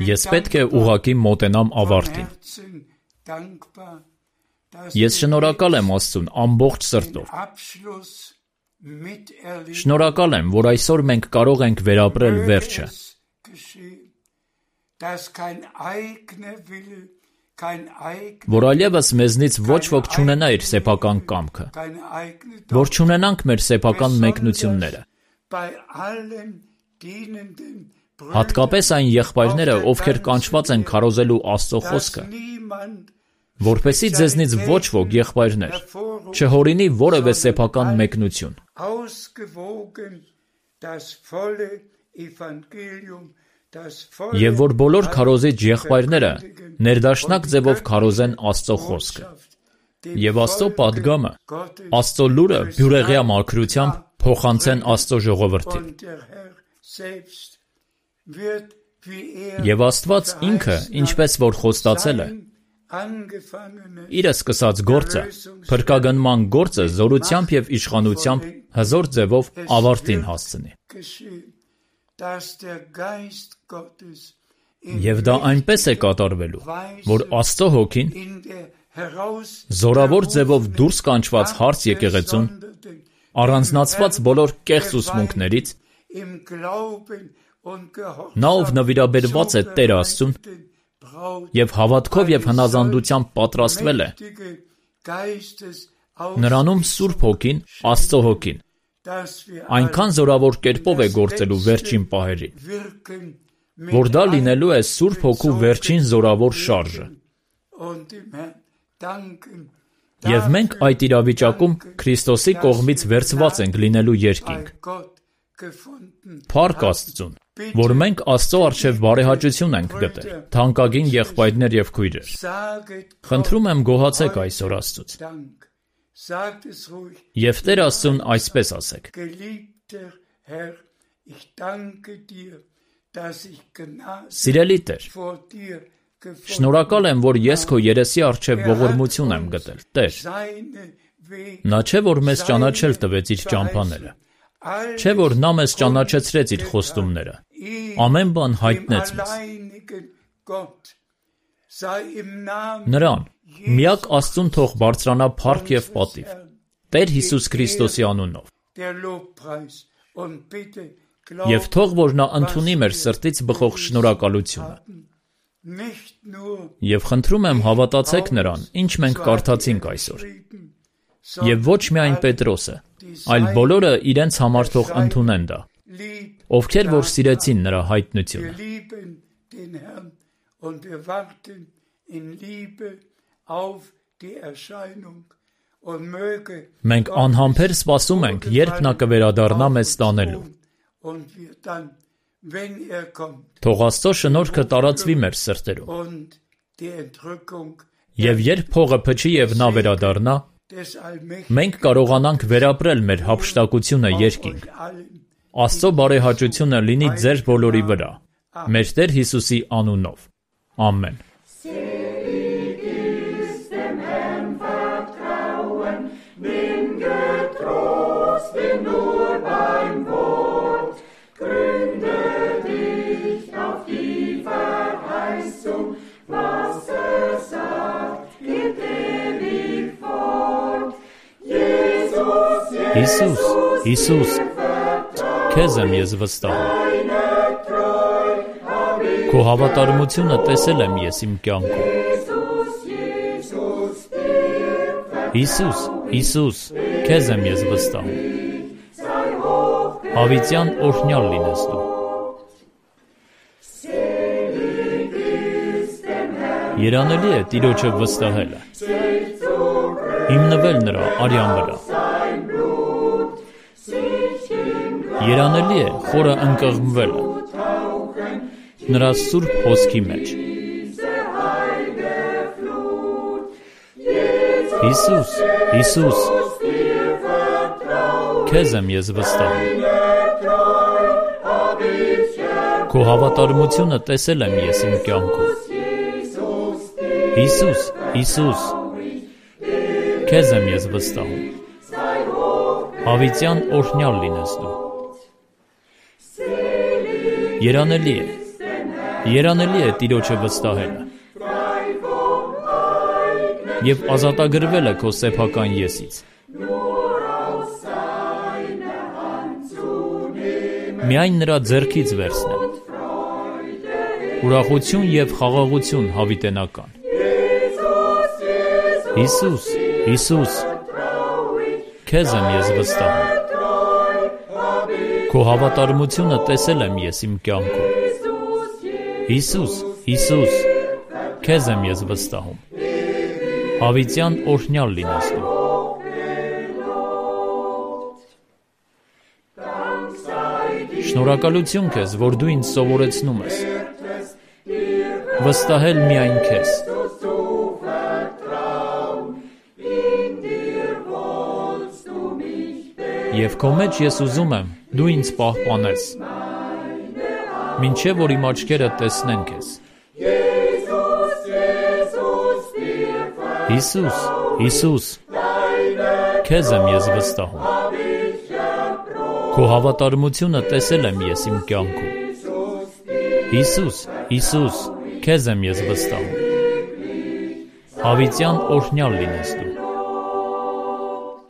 S2: Ես պետք է ուղղակի մոտենամ ավարտին։ Ես շնորհակալ եմ Աստծուն ամբողջ սրտով։ Շնորհակալ եմ, որ այսօր մենք կարող ենք վերապրել վերջը։ Որ այլևս մեզնից ոչ ոք չունենա իր սեփական կամքը, որ չունենանք մեր սեփական մեկնությունները։ Հատկապես այն եղբայրները, ովքեր կանչված են քարոզելու Աստծո խոսքը, որպեսզի ձեզնից ոչ ոք, եղբայրներ, չհորինի որևէ սեփական մեկնություն։ Եվ որ բոլոր քարոզիչ եղբայրները ներդաշնակ ձևով քարոզեն Աստծո խոսքը։ Եվ Աստծո պատգամը, Աստծո լուրը բյուրեղյա մաքրությամբ փոխանցեն Աստծո ժողովրդին։ Եվ Աստված ինքը, ինչպես որ խոստացել է, Իր սկսած գործը, փրկագնման գործը զորությամբ եւ իշխանությամբ հզոր ձևով ավարտին հասցնի։ Եվ դա այնպես է կատարվելու, որ Աստծո հոգին զորավոր ձևով դուրս կանչված հարց եկեղեցուն, առանձնացված բոլոր կեղծ ուսմունքներից, նա ով նվիրաբերված է Տեր Աստծուն եւ հավատքով եւ հնազանդությամբ պատրաստվել է, նրանում Սուրբ Հոգին, Աստծո Հոգին, այնքան զորավոր կերպով է գործելու վերջին պահերին, որ դա լինելու է Սուրբ Հոգու վերջին զորավոր շարժը։ Եվ մենք այդ իրավիճակում Քրիստոսի կողմից վերցված ենք լինելու երկինք։ Փառք Աստծուն, որ մենք Աստծո առջև բարեհաճություն ենք գտել, թանկագին եղբայրներ եւ քույրեր։ Խնդրում եմ գոհացեք այսօր Աստծուց։ Եվ Տեր Աստծուն այսպես ասեք. Սիրելի Տեր, շնորհակալ եմ, որ ես քո երեսի առջև ողորմություն եմ գտել, Տեր։ Նա չէ, որ մեզ ճանաչել տվեց իր ճամփաները, չէ, որ նա մեզ ճանաչեցրեց իր խոստումները, ամեն բան հայտնեց մեզ։ Նրան, միակ Աստծուն թող բարձրանա փառք եւ պատիվ, Տեր Հիսուս Քրիստոսի անունով։ Եվ թող որ նա ընդունի մեր սրտից բխող շնորհակալությունը։ Եվ խնդրում եմ հավատացեք նրան, ինչ մենք կարդացինք այսօր։ Եվ ոչ միայն Պետրոսը, այլ բոլորը իրենց համար թող ընդունեն դա, ովքեր որ սիրեցին նրա հայտնությունը։ Մենք անհամբեր սպասում ենք, երբ նա կվերադառնա մեզ ստանելու։ Թող Աստծո շնորհքը տարածվի մեր սրտերում։ Եվ երբ փողը փչի եւ նա վերադառնա, մենք կարողանանք վերապրել մեր հափշտակությունը երկինք։ Աստծո բարեհաճությունը լինի ձեր բոլորի վրա, մեր Տեր Հիսուսի անունով։ Ամեն։ Հիսուս, Հիսուս, քեզ եմ ես վստահում։ Քո հավատարմությունը տեսել եմ ես իմ կյանքում։ Հիսուս, Հիսուս, քեզ եմ ես վստահում։ Հավիտյան օրհնյալ լինես դու։ Երանելի է Տիրոջը վստահելը, հիմնվել նրա արյան վրա։ Երանելի է խորը ընկղմվելը նրա սուրբ հոսքի մեջ։ Հիսուս, Հիսուս, քեզ եմ ես վստահում։ Քո հավատարմությունը տեսել եմ ես իմ կյանքում։ Հիսուս, Հիսուս, քեզ եմ ես վստահում։ Հավիտյան օրհնյալ լինես դու։ Երանելի է Տիրոջը վստահելը և ազատագրվելը քո սեփական եսից։ Միայն նրա ձեռքից վերցնել ուրախություն և խաղաղություն հավիտենական։ Հիսուս, Հիսուս, քեզ եմ ես վստահում։ Քո հավատարմությունը տեսել եմ ես իմ կյանքում։ Հիսուս, Հիսուս, քեզ եմ ես վստահում։ Հավիտյան օրհնյալ լինես դու։ Շնորհակալություն քեզ, որ դու ինձ սովորեցնում ես վստահել միայն քեզ։ Եվ քո մեջ ես ուզում եմ դու ինձ պահպանես, մինչև որ իմ աչքերը տեսնեն քեզ։ Հիսուս, Հիսուս, քեզ եմ ես վստահում։ Քո հավատարմությունը տեսել եմ ես իմ կյանքում։ Հիսուս, Հիսուս, քեզ եմ ես վստահում։ Հավիտյան օրհնյալ լինես դու։